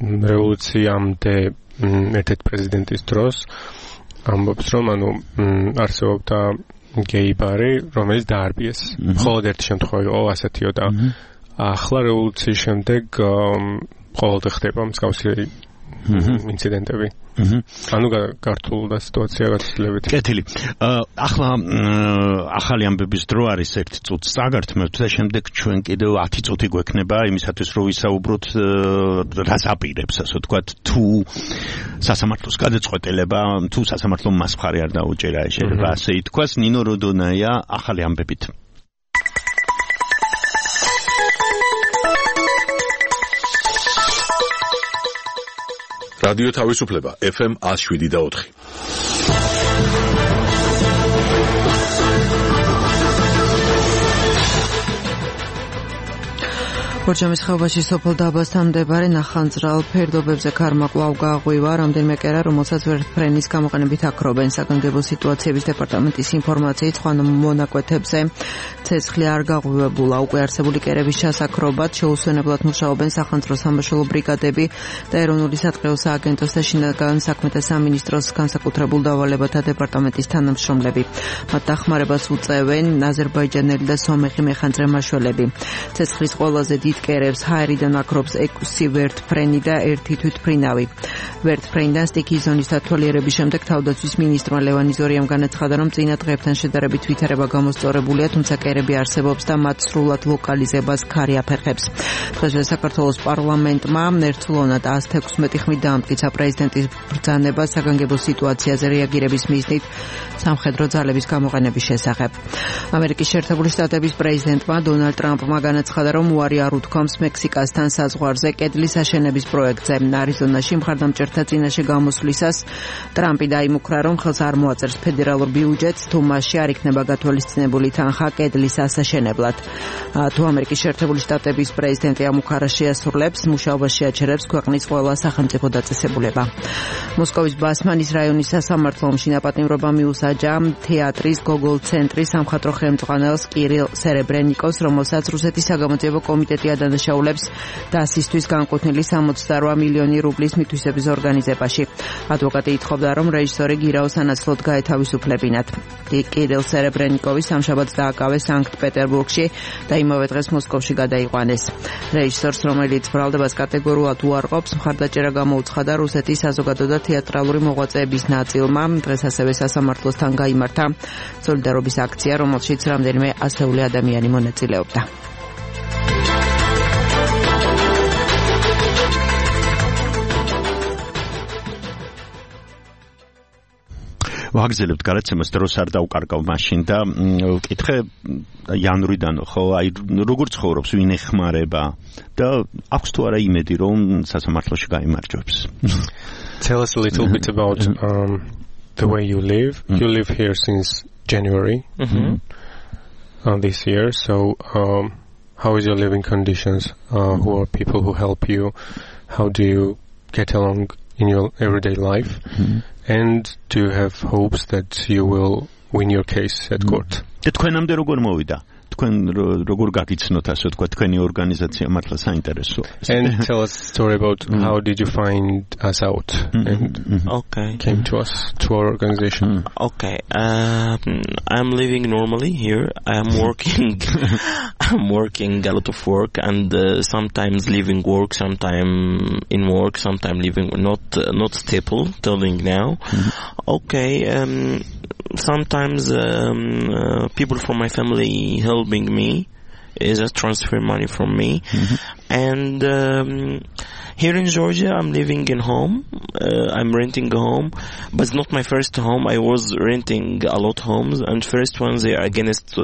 რევოლუციამდე ერთ-ერთ პრეზიდენტის დროს ამბობს რომ ანუ არსებობდა გეი ბარი, რომელიც დაარბიეს. მხოლოდ ერთი შემთხვევა იყო ასეთიო და ახლა რევოლუციის შემდეგ ყოველდღე ხდება მსგავსი ინციდენტები. ანუ გართულდა სიტუაცია გაცილებით. კეთილი. ახლა ახალი ამბების დრო არის ერთ წუთს წაგართმევთ და შემდეგ ჩვენ კიდევ 10 წუთი გვექნება იმისათვის რომ ვისაუბროთ რას აპირებს ასე ვთქვათ თუ სასამართლოს გადაწყვეტილება თუ სასამართლომ მას მხარი არ დაუჭერა შეიძლება ასე ითქვას. ნინო როდონაია ახალი ამბებით. რადიო თავისუფლება FM 107.4. ორჯამის ხეობაში სოფელ დაბასთან მდებარე ნახანძრალ ფერდობებზე ქარმა კვლავ გააღვივა რამდენიმე კერა, რომელსაც ვერტფრენის გამოყენებით აქრობენ. საგანგებო სიტუაციების დეპარტამენტის ინფორმაციით სხვა მონაკვეთებზე ცეცხლი არ გაღვივებულა. უკვე არსებული კერების ჩასაქრობად შეუსვენებლად მუშაობენ სახანძრო სამაშველო ბრიგადები და ეროვნული სატყეო სააგენტოს და შინაგან საქმეთა სამინისტროს განსაკუთრებულ დავალებათა დეპარტამენტის თანამშრომლები. მათ დახმარებას უწევენ აზერბაიჯანელი და სომეხი მეხანძრე მაშველები. ცეცხლის ყველაზე დიდ კერებს ჰაერიდან აქრობს 6 ვერტფრენი და 1 თვითფრინავი. ვერტფრენიდან სტიქიის ზონის დათვალიერების შემდეგ თავდაცვის მინისტრმა ლევან იზორიამ განაცხადა, რომ წინა დღეებთან შედარებით ვითარება გამოსწორებულია, თუმცა კერები არსებობს და მათ სრულად ლოკალიზებას ქარი აფერხებს. დღესვე საქართველოს პარლამენტმა ერთწლოვნად 116 ხმით დაამტკიცა პრეზიდენტის ბრძანება საგანგებო სიტუაციაზე რეაგირების მიზნით სამხედრო ძალების გამოყენების შესახებ. ამერიკის შეერთებული შტატების პრეზიდენტმა დონალდ ტრამპმა განაცხადა, რომ უარი არ მოთქვამს მექსიკასთან საზღვარზე კედლის აშენების პროექტზე. არიზონაში მხარდამჭერთა წინაშე გამოსვლისას ტრამპი დაიმუქრა, რომ ხელს არ მოაწერს ფედერალურ ბიუჯეტს, თუ მასში არ იქნება გათვალისწინებული თანხა კედლის ასაშენებლად. თუ ამერიკის შეერთებული შტატების პრეზიდენტი ამ უკარას შეასრულებს, მუშაობას შეაჩერებს ქვეყნის ყველა სახელმწიფო დაწესებულება. მოსკოვის ბასმანის რაიონის სასამართლო ომში დაპატიმრება მიუსაჯა თეატრის გოგოლ ცენტრის სამხატვრო ხელმძღვანელს კირილ სერებრენიკოს, რომელსაც რუსეთის საგამოძიებო კომიტეტი ადანაშაულებს დასისთვის განკუთვნილი 68 მილიონი რუბლის მითვისების ორგანიზებაში. ადვოკატი ითხოვდა, რომ რეჟისორი გირაოს ანაცვლოდ გაეთავისუფლებინათ. კირილ სერებრენიკოვი სამშაბათს დააკავეს სანქტ-პეტერბურგში და იმავე დღეს მოსკოვში გადაიყვანეს. რეჟისორს, რომელიც ბრალდებას კატეგორიულად უარყოფს, მხარდაჭერა გამოუცხადა რუსეთის საზოგადო და თეატრალური მოღვაწეების ნაწილმა. დღეს ასევე სასამართლოსთან გაიმართა სოლიდარობის აქცია, რომელშიც რამდენიმე ასეული ადამიანი მონაწილეობდა. ვაგზელებთ გადაცემას, დროს არ დაუკარგავ მაშინ და ვკითხე იანვრიდან, ხო, აი როგორ ცხოვრობს, ვინ ეხმარება და აქვს თუ არა იმედი, რომ სასამართლოში გაიმარჯვებს. Tell us a little bit about the way you live. You live here since January this year. So how is your living conditions? Who are people who help you? How do you get along in your everyday life? And do you have hopes that you will win your case at court? თქვენამდე როგორ მოვიდა? თქვენ როგორ გაგიცნოთ ასე თქვა თქვენი ორგანიზაცია მართლა საინტერესოა. And tell us a story about how did you find us out and came to us, to our organization. Okay. I'm living normally here. I'm working a lot of work and sometimes leaving work, sometimes in work, sometimes leaving not stable telling now. Okay. Sometimes people from my family helping me just transfer money from me. And here in Georgia I'm living in home. I'm renting a home, but it's not my first home. I was renting a lot of homes, and first ones they are against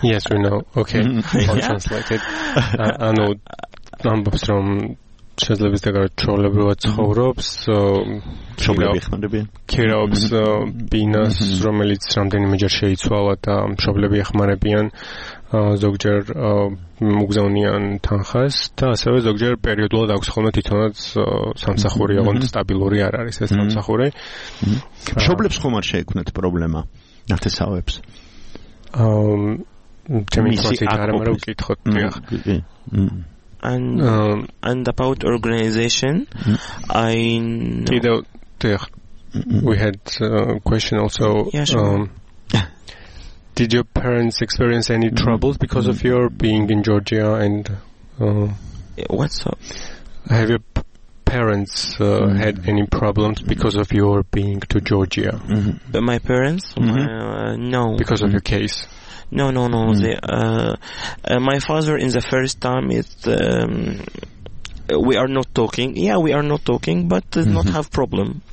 Yes, we know. Okay. I'll translate it. I know numbers from შესაძლოა დაგაჩვეულებრივად ცხოვრობს, ქირაობს ბინას, რომელიც რამდენიმეჯერ შეიცვალა და მშობლები ეხმარებიან, ზოგჯერ მუგზავნიან თანხას და ასევე ზოგჯერ პერიოდულად აქვს ხოლმე თვითონაც სამსახური, ოღონდ სტაბილური არ არის ეს სამსახური. მშობლებს ხომ არ შეექმნათ პრობლემა ნათესავებს? ჩემი ინფორმაციით არ ამარო ვკითხოთ. And about organization, I know. We had a question also. Yeah, sure. Did your parents experience any troubles because of your being in Georgia? And what's up? Have your parents had any problems because of your being to Georgia? My parents? No. Because of your case? No. They, my father in the first time we are not talking. Yeah, we are not talking, but does not have problem.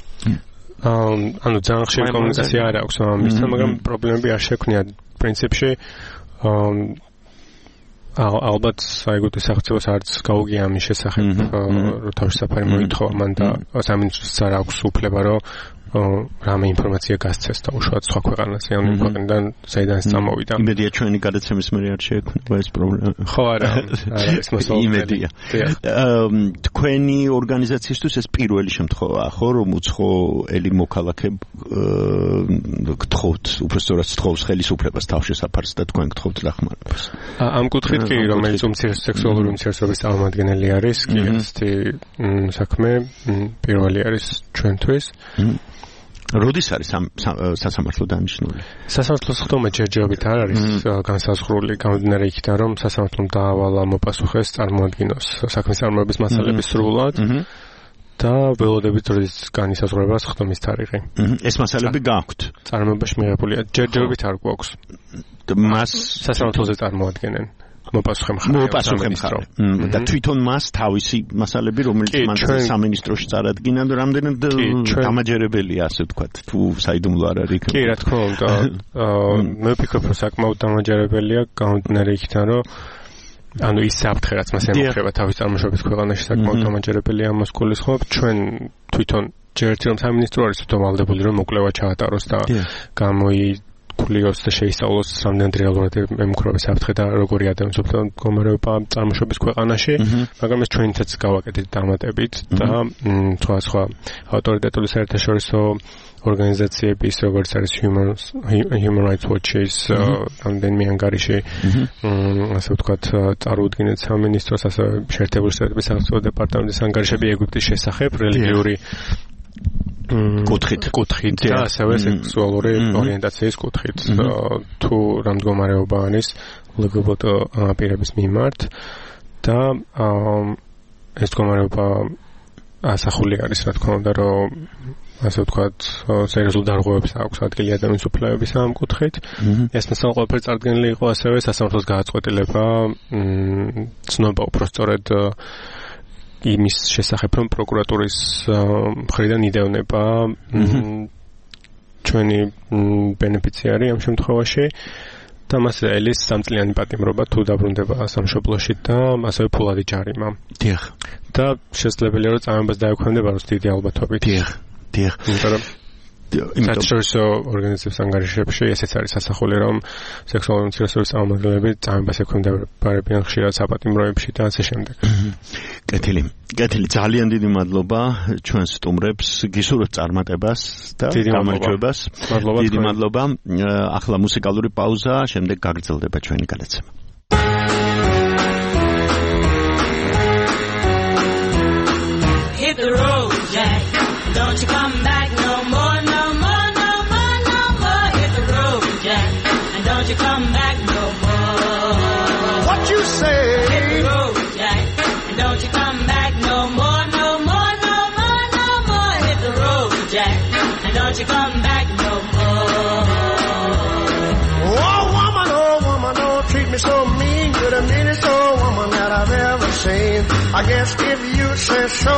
ანუ ძალიან ხშირი კომუნიკაცია არ აქვს ამისთან, მაგრამ პრობლემები არ შექმნიათ პრინციპში. ალბათ საერთოდ სახელმწიფოს არც გაუგია ამის შესახებ, რომ თავშესაფარი მოითხოვა მან და სამინისტროს არ აქვს უფლება, რომ რამე ინფორმაცია გასცეს და უშუალოდ სხვა ქვეყანაზე, ან იმ ქვეყნიდან საიდანაც წამოვიდა. იმედია ჩვენი გადაცემის მერე არ შეექმნება ეს პრობლემა. ხო, არა, ეს მოსულობელი. იმედია. თქვენი ორგანიზაციისთვის ეს პირველი შემთხვევაა, ხო, რომ უცხოელი მოქალაქე გთხოვთ, უბრალოდ გთხოვს ხელისუფლებას თავშესაფარს და თქვენ გთხოვთ დახმარებას. ამ კუთხით კი, რომელიც სექსუალური უმცირესობის წარმომადგენელი არის, კი ესეთი საქმე პირველი არის ჩვენთვის. როდის არის სასამართლო დანიშნული? სასამართლოს ხდომა ჯერჯერობით არ არის განსაზღვრული, გამომდინარე იქიდან, რომ სასამართლომ დაავალა მოპასუხეს წარმოადგინოს საქმის წარმოების მასალების სრულად და ველოდებით როდის განისაზღვრებას ხდომის თარიღი. ეს მასალები გაქვთ? წარმოებაში მიღებულია. ჯერჯერობით არ გვაქვს. მას სასამართლოზე წარმოადგენენ. მოპასუხე მხარე. და თვითონ მას თავისი მასალები, რომელიც მან სამინისტროში წარადგინა, რამდენად დამაჯერებელია, ასე ვთქვათ, თუ საიდუმლო არ არის. კი, რა თქმა უნდა. მე ვფიქრობ, რომ საკმაოდ დამაჯერებელია, გამომდინარე იქიდან, რომ ანუ ის საფრთხე რაც მას ემუქრება თავის წარმოშობის ქვეყანაში საკმაოდ დამაჯერებელია ამას გულისხმობ ჩვენ თვითონ ჯერ ერთი რომ სამინისტრო არის უთვალდებული რომ მოკვლევა ჩაატაროს და გამოიკლიოს და შეისწავლოს რამდენად რეალურად ემუქრება საფრთხე და როგორი ადამიანის მდგომარეობა წარმოშობის ქვეყანაში მაგრამ ეს ჩვენითაც გავაკეთეთ დამატებით და სხვა ავტორიტეტული საერთაშორისო ორგანიზაციების როგორც არის Human Rights Watch-ის რამდენიმე ანგარიში ასე ვთქვათ წარუდგინეთ სამინისტროს ასევე შეერთებული შტატების სახელმწიფო დეპარტამენტის ანგარიშები ეგვიპტის შესახებ რელიგიური კუთხით და ასევე სექსუალური ორიენტაციის კუთხით თუ რა მდგომარეობა არის LGBT პირების მიმართ და ეს მდგომარეობა ასახული არის რა თქმა უნდა რომ ასე ვთქვათ სერიოზულ დარღვევებს აქვს ადგილი ადამიანის უფლებების ამ კუთხით ეს მასალა ყველაფერი წარდგენილი იყო ასევე სასამართლოს გააწყვეტილება ცნობა უпростоრედ იმის შესახებ რომ პროკურატურის მხრიდან იდევნება ჩვენი ბენეფიციარი ამ შემთხვევაში და მას ელის 3 წლიანი პატიმრობა თუ დაბრუნდება სამშობლოში და ასევე ფულადი ჯარიმა. დიახ. და შესაძლებელია რომ წამებას დაექვემდებაროს დიდი ალბათობით. დიახ. საერთაშორისო ორგანიზაციების ანგარიშებში ესეც არის ასახული რომ სექსუალური უმცირესობის წარმომადგენლები წამებას ექვემდებარებიან ხშირად საპატიმროებში და ასე შემდეგ. კეთილი ძალიან დიდი მადლობა ჩვენ სტუმრებს გისურვებთ წარმატებას და გამარჯვებას. დიდი მადლობა. ახლა მუსიკალური პაუზა, შემდეგ გაგრძელდება ჩვენი გადაცემა. Hit the road, Jack. Don't you come back no more, no more, no more, no more. Hit the road, Jack. And don't you come back no more. What you say? Hit the road, Jack. And don't you come back no more, no more, no more, no more. Hit the road, Jack. And don't you come back no more. Oh, woman, don't treat me so mean. You're the meanest old woman that I've ever seen. I guess if you say so,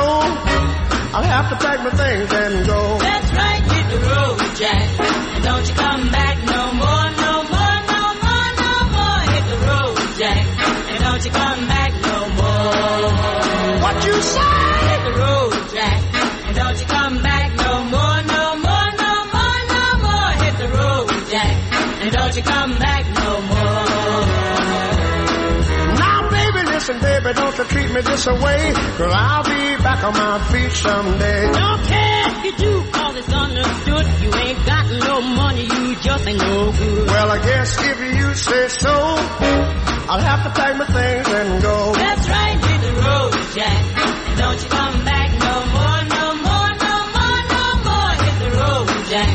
I'll have to pack my things and go. That's right, hit the road, Jack. And don't you come back no more, no more, no more, no more. Hit the road, Jack. And don't you come back no more. What you say? Hit the road, Jack. And don't you come back no more, no more, no more, no more. Hit the road, Jack. And don't you come back no more. Now, baby, listen, baby, don't you treat me this way, 'cause I'll be back on my feet someday. Don't care if you do, 'cause it's understood. You ain't got no money, you just ain't no good. Well, I guess if you say so, I'll have to pack my things and go. That's right, hit the road, Jack. And don't you come back no more, no more, no more, no more. Hit the road, Jack.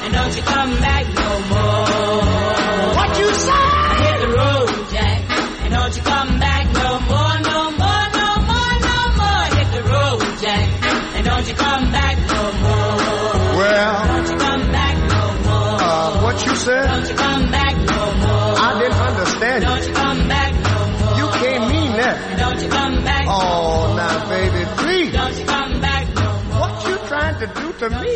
And don't you come back no more. What you say? Hit the road, Jack. And don't you come back no more, no more, no more, no more. Hit the road, Jack. And don't you come back no more. Well, don't you come back no more. What you said? Don't you come back no more. I didn't understand you. Don't you come back no more. You can't mean that. Don't you come back no more. Oh, now, baby, please. Don't you come back no more. What you trying to do to me?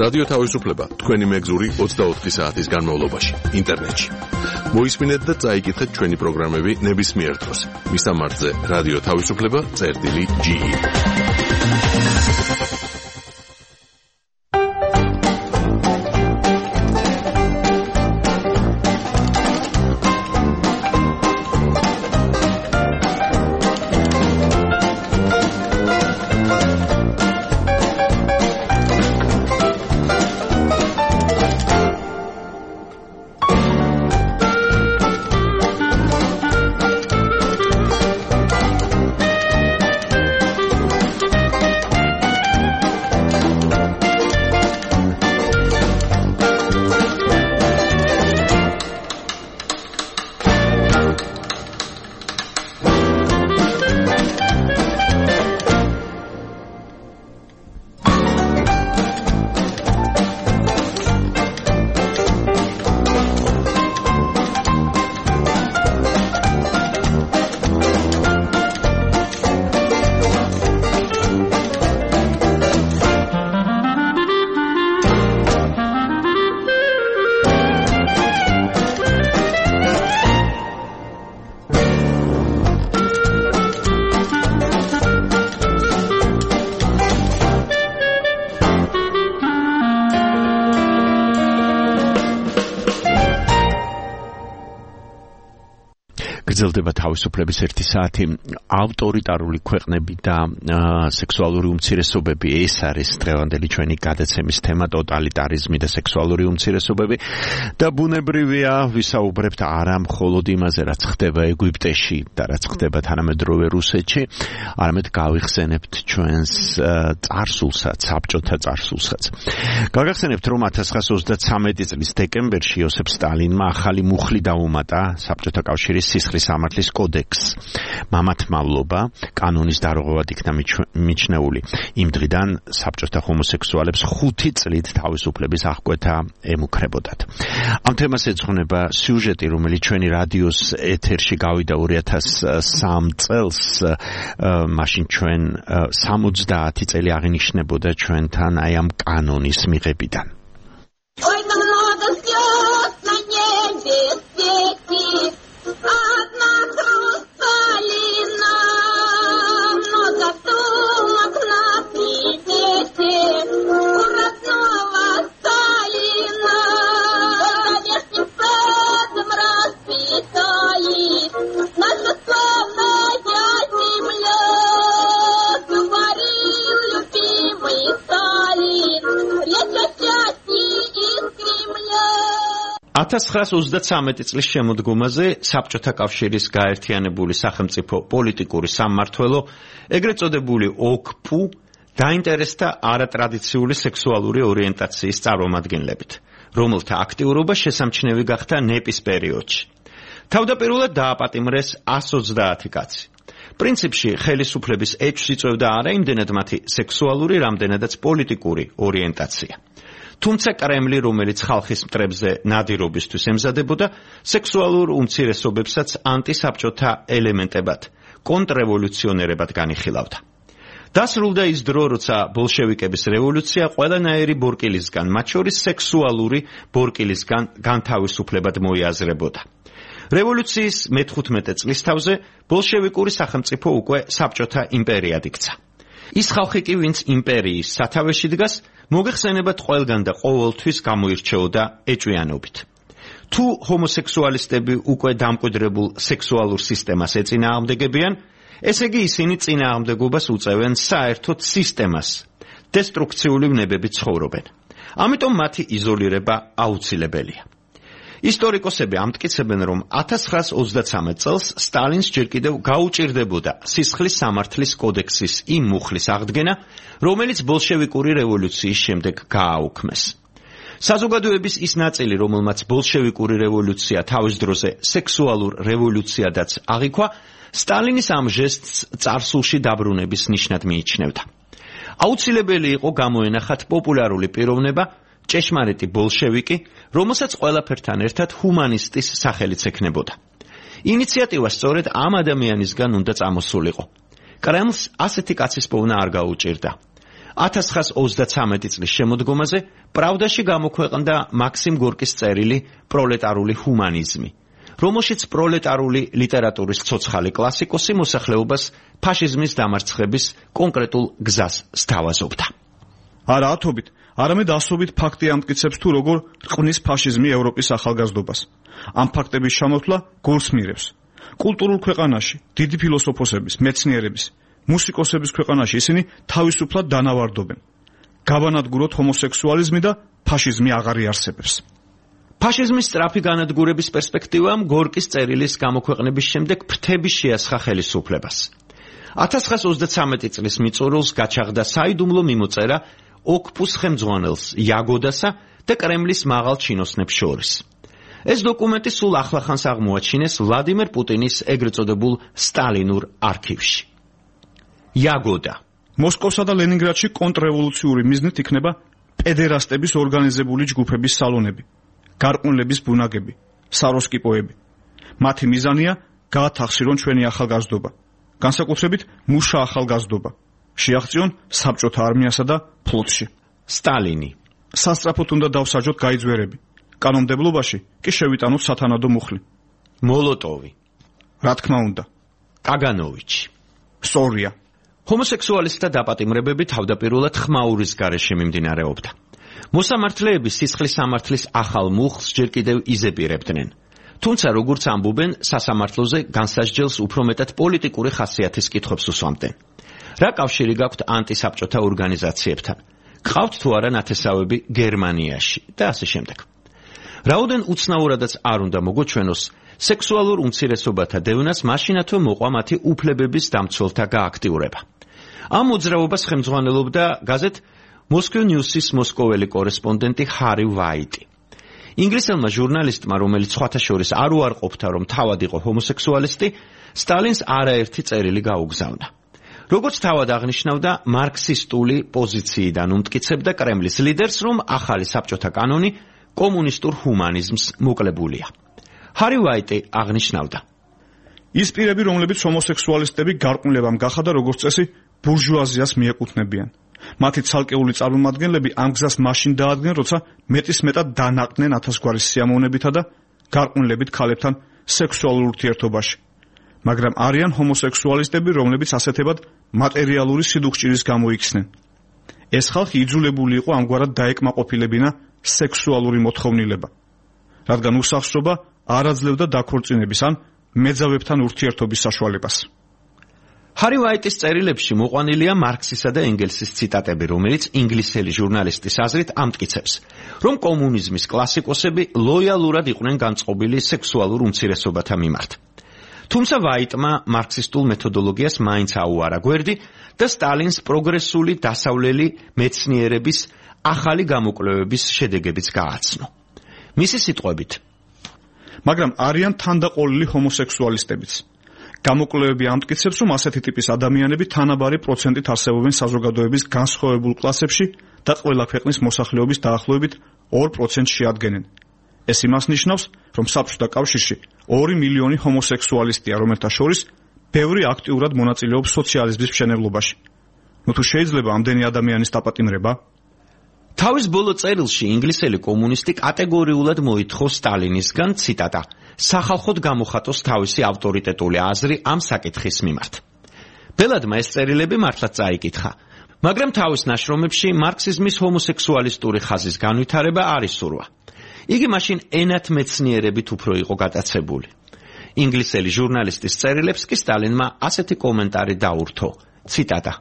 რადიო თავისუფლება თქვენი მეგზური 24 საათის განმავლობაში ინტერნეტში. მოისმინეთ და წაიკითხეთ ჩვენი პროგრამები ნებისმიერ დროს. მისამართზე რადიო თავისუფლება.ge გრძელდება თავისუფლების 1 საათი. ავტორიტარული ქვეყნები და სექსუალური უმცირესობები, ეს არის დღევანდელი ჩვენი გადაცემის თემა, ტოტალიტარიზმი და სექსუალური უმცირესობები. და ბუნებრივია ვისაუბრებთ არა მხოლოდ იმაზე, რაც ხდება ეგვიპტეში და რაც ხდება თანამედროვე რუსეთში, არამედ გავიხსენებთ ჩვენს წარსულსაც, საბჭოთა წარსულსაც. გაგახსენებთ, რომ 1933 წლის დეკემბერში იოსებ სტალინმა ახალი მუხლი დაუმატა საბჭოთა კავშირის სისხლის სამართლის კოდექსს. მამათმავლობა კანონის დარღვევად იქნა მიჩნეული. იმ დღიდან საბჭოთა ჰომოსექსუალებს 5 წლით თავისუფლების აღკვეთა ემუქრებოდათ. ამ თემას ეძღვნება სიუჟეტი, რომელიც ჩვენი რადიოს ეთერში გავიდა 2003 წელს. მაშინ ჩვენ 70 წელი აღინიშნებოდა ჩვენთან აი ამ კანონის მიღებიდან. Ой, да много звезд на небе светит, одна хрусталина, много сумок на примете у родного Сталина. Конечно, садом расцветает наша славная земля, говорил любимый Сталин, речь о счастье из Кремля. 1933 წლის შემოდგომაზე საბჭოთა კავშირის გაერთიანებული სახელმწიფო პოლიტიკური სამმართველო, ეგრეთ წოდებული ოკპუ, დაინტერესდა არატრადიციული სექსუალური ორიენტაციის წარმომადგენლებით, რომელთა აქტიურობა შესამჩნევი გახდა ნეპის პერიოდში. თავდაპირველად დააპატიმრეს 130 კაცი. პრინციპში ხელისუფლების ეჭვს იწვევდა არა იმდენად მათი სექსუალური, რამდენადაც პოლიტიკური ორიენტაცია. თუმცა კრემლი, რომელიც ხალხის მტრებზე ნადირობისთვის ემზადებოდა, სექსუალურ უმცირესობებსაც ანტისაბჭოთა ელემენტებად, კონტრრევოლუციონერებად განიხილავდა. დასრულდა ის დრო, როცა ბოლშევიკების რევოლუცია ყველანაირი ბორკილისგან, მათ შორის სექსუალური ბორკილისგან განთავისუფლებად მოიაზრებოდა. რევოლუციის მე-15 წლის თავზე ბოლშევიკური სახელმწიფო უკვე საბჭოთა იმპერიად იქცა. ის ხალხი კი, ვინც იმპერიის სათავეში დგას, მოგეხსენებათ ყველგან და ყოველთვის გამოირჩეოდა ეჭვიანობით. თუ ჰომოსექსუალისტები უკვე დამკვიდრებულ სექსუალურ სისტემას ეწინააღმდეგებიან, ესე იგი ისინი წინააღმდეგობას უწევენ საერთოდ სისტემას, დესტრუქციული ვნებებით ცხოვრობენ. ამიტომ მათი იზოლირება აუცილებელია. ისტორიკოსები ამტკიცებენ, რომ 1933 წელს სტალინს ჯერ კიდევ გაუჭირდებოდა სისხლის სამართლის კოდექსის იმ მუხლის აღდგენა, რომელიც ბოლშევიკური რევოლუციის შემდეგ გააუქმეს. საზოგადოების ის ნაწილი, რომელმაც ბოლშევიკური რევოლუცია თავის დროზე სექსუალურ რევოლუციადაც აღიქვა, სტალინის ამ ჟესტს წარსულში დაბრუნების ნიშნად მიიჩნევდა. აუცილებელი იყო გამოენახათ პოპულარული პიროვნება, ჭეშმარიტი ბოლშევიკი, რომელსაც ყველაფერთან ერთად ჰუმანისტის სახელიც ექნებოდა. ინიციატივა სწორედ ამ ადამიანისგან უნდა წამოსულიყო. კრემლს ასეთი კაცის პოვნა არ გაუჭირდა. 1933 წლის შემოდგომაზე პრავდაში გამოქვეყნდა მაქსიმ გორკის წერილი პროლეტარული ჰუმანიზმი, რომელშიც პროლეტარული ლიტერატურის ცოცხალი კლასიკოსი მოსახლეობას ფაშიზმის დამარცხების კონკრეტულ გზას სთავაზობდა. არა ათობით, არამედ ასობით ფაქტი ამტკიცებს თუ როგორ რყნის ფაშიზმი ევროპის ახალგაზრდობას. ამ ფაქტების ჩამოთვლა გულს მირევს. კულტურულ ქვეყანაში, დიდი ფილოსოფოსების, მეცნიერების, მუსიკოსების ქვეყანაში ისინი თავისუფლად დანავარდობენ. გავანადგუროთ ჰომოსექსუალიზმი და ფაშიზმი აღარ იარსებებს. ფაშიზმის სწრაფი განადგურების პერსპექტივამ გორკის წერილის გამოქვეყნების შემდეგ ფრთები შეასხა ხელისუფლებას. 1933 წლის მიწურულს გაჩაღდა საიდუმლო მიმოწერა ოკპუს ხელმძღვანელს იაგოდასა და კრემლის მაღალ ჩინოსნებს შორის. ეს დოკუმენტი სულ ახლახანს აღმოაჩინეს ვლადიმერ პუტინის ეგრეთ წოდებულ სტალინურ არქივში. იაგოდა მოსკოვსა და ლენინგრადში კონტრრევოლუციური მიზნით იქნება პედერასტების ორგანიზებული ჯგუფების სალონები, გარყვნილების ბუნაგები, საროსკიპოები. მათი მიზანია გაათახსირონ ჩვენი ახალგაზრდობა, განსაკუთრებით მუშა ახალგაზრდობა, შეაღწიონ საბჭოთა არმიასა და ფლოტში. სტალინი სასწრაფოდ უნდა დავსაჯოთ გაიძვერები, კანონმდებლობაში კი შევიტანოთ სათანადო მუხლი. მოლოტოვი რა თქმა უნდა, კაგანოვიჩი. სწორია. ჰომოსექსუალისტთა დაპატიმრებები თავდაპირველად ხმაურის გარეშე მიმდინარეობდა. მოსამართლეები სისხლის სამართლის ახალ მუხლს ჯერ კიდევ იზეპირებდნენ. თუმცა როგორც ამბობენ, სასამართლოზე განსასჯელს უფრო მეტად პოლიტიკური ხასიათის კითხვებს უსვამდნენ. რა კავშირი გაქვთ ანტისაბჭოთა ორგანიზაციებთან? გყავთ თუ არა ნათესავები გერმანიაში და ასე შემდეგ. რაოდენ უცნაურადაც არ უნდა მოგოჩვენოს, სექსუალურ უმცირესობათა დევნას მაშინათვე მოყვა მათი უფლებების დამცველთა გააქტიურება. ამ მოძრაობას ხელმძღვანელობდა გაზეთ Moscow News-ის მოსკოველი კორესპონდენტი ჰარი ვაიტი. ინგლისელმა ჟურნალისტმა, რომელიც სხვათა შორის არ უარყოფდა, რომ თავად იყო ჰომოსექსუალისტი, სტალინს არაერთი წერილი გაუგზავნა. როგორც თავად აღნიშნავდა, მარქსისტული პოზიციიდან უმტკიცებდა კრემლის ლიდერს, რომ ახალი საბჭოთა კანონი კომუნისტურ ჰუმანიზმს მოკლებულია. ჰარი ვაიტი აღნიშნავდა: ის პირები, რომლებიც ჰომოსექსუალისტები გარყვნილებამ გახადა, როგორც წესი, ბურჟუაზიას მიეკუთვნებიან. მათი ცალკეული წარმომადგენლები ამ გზას მაშინ დაადგნენ, როცა მეტისმეტად დანაყდნენ ათასგვარი სიამოვნებითა და გარყვნილებით ქალებთან სექსუალურ ურთიერთობაში. მაგრამ არიან ჰომოსექსუალისტები, რომლებიც ასეთებად მატერიალური სიდუხჭირის გამო იქცნენ. ეს ხალხი იძულებული იყო ამგვარად დაეკმაყოფილებინა სექსუალური მოთხოვნილება, რადგან უსახსრობა არ აძლევდა დაქორწინების ან მეძავებთან ურთიერთობის საშუალებას. ჰარი ვაიტის წერილებში მოყვანილია მარქსისა და ენგელსის ციტატები, რომელიც ინგლისელი ჟურნალისტის აზრით ამტკიცებს, რომ კომუნიზმის კლასიკოსები ლოიალურად იყვნენ განწყობილი სექსუალურ უმცირესობათა მიმართ. თუმცა ვაიტმა მარქსისტულ მეთოდოლოგიას მაინც აუარა გვერდი და სტალინს პროგრესული დასავლელი მეცნიერების ახალი გამოკვლევების შედეგებიც გააცნო. მისი სიტყვებით: მაგრამ არიან თანდაყოლილი ჰომოსექსუალისტებიც. გამოკვლევები ამტკიცებს, რომ ასეთი ტიპის ადამიანები თანაბარი პროცენტით არსებობენ საზოგადოების განსხვავებულ კლასებში და ყველა ქვეყნის მოსახლეობის დაახლოებით 2% შეადგენენ. ეს იმას ნიშნავს, რომ საბჭოთა კავშირში 2 მილიონი ჰომოსექსუალისტია, რომელთა შორის ბევრი აქტიურად მონაწილეობს სოციალიზმის მშენებლობაში. ნუ თუ შეიძლება ამდენი ადამიანის დაპატიმრება? თავის ბოლო წერილში ინგლისელი კომუნისტი კატეგორიულად მოითხოვ სტალინისგან, ციტატა, სახალხოდ გამოხატოს თავისი ავტორიტეტული აზრი ამ საკითხის მიმართ. ბელადმა ეს წერილები მართლაც წაიკითხა, მაგრამ თავის ნაშრომებში მარქსიზმის ჰომოსექსუალისტური ხაზის განვითარება არ ისურვა. იგი მაშინ ენათმეცნიერებით უფრო იყო გატაცებული. ინგლისელი ჟურნალისტის წერილებს კი სტალინმა ასეთი კომენტარი დაურთო, ციტატა,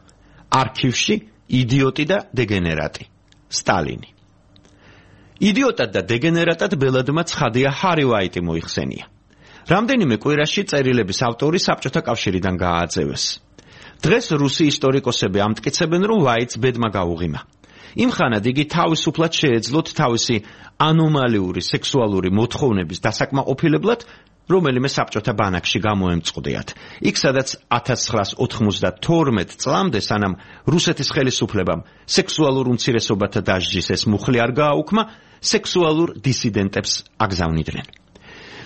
არქივში იდიოტი და დეგენერატი. სტალინი. იდიოტად და დეგენერატად ბელადმა ცხადია ჰარი ვაიტი მოიხსენია. რამდენიმე კვირაში წერილების ავტორი საბჭოთა კავშირიდან გაააწევეს. დღეს რუსი ისტორიკოსები ამტკიცებენ, რომ ვაიტს ბედმა გაუღიმა. იმხანად იგი თავისუფლად შეეძლოთ თავისი ანომალიური სექსუალური მოთხოვნების დასაკმაყოფილებლად, რომელიმე საბჭოთა ბანაკში გამოემწყდიათ. იქ სადაც 1992 წლამდე, სანამ რუსეთის ხელისუფლებამ სექსუალურ უმცირესობათა დასჯის ეს მუხლი არ გააუქმა, სექსუალურ დისიდენტებს აგზავნიდნენ.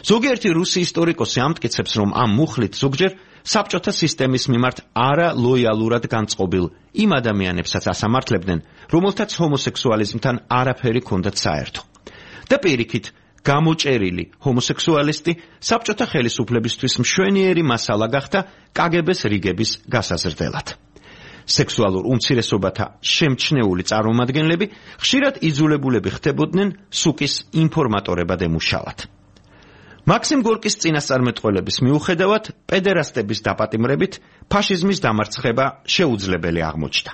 ზოგიერთი რუსი ისტორიკოსი ამტკიცებს, რომ ამ მუხლით ზოგჯერ საბჭოთა სისტემის მიმართ არა ლოიალურად განწყობილ იმ ადამიანებსაც ასამართლებდნენ, რომელთაც ჰომოსექსუალიზმთან არაფერი ჰქონდათ საერთო. და პირიქით, გამოჭერილი ჰომოსექსუალისტი საბჭოთა ხელისუფლებისთვის მშვენიერი მასალა გახდა კგბ-ს რიგების გასაზრდელად. სექსუალურ უმცირესობათა შემჩნეული წარმომადგენლები ხშირად იძულებულები ხდებოდნენ სუკის ინფორმატორებად ემუშავათ. მაქსიმ გორკის წინასწარმეტყველების მიუხედავად, პედერასტების დაპატიმრებით ფაშიზმის დამარცხება შეუძლებელი აღმოჩნდა.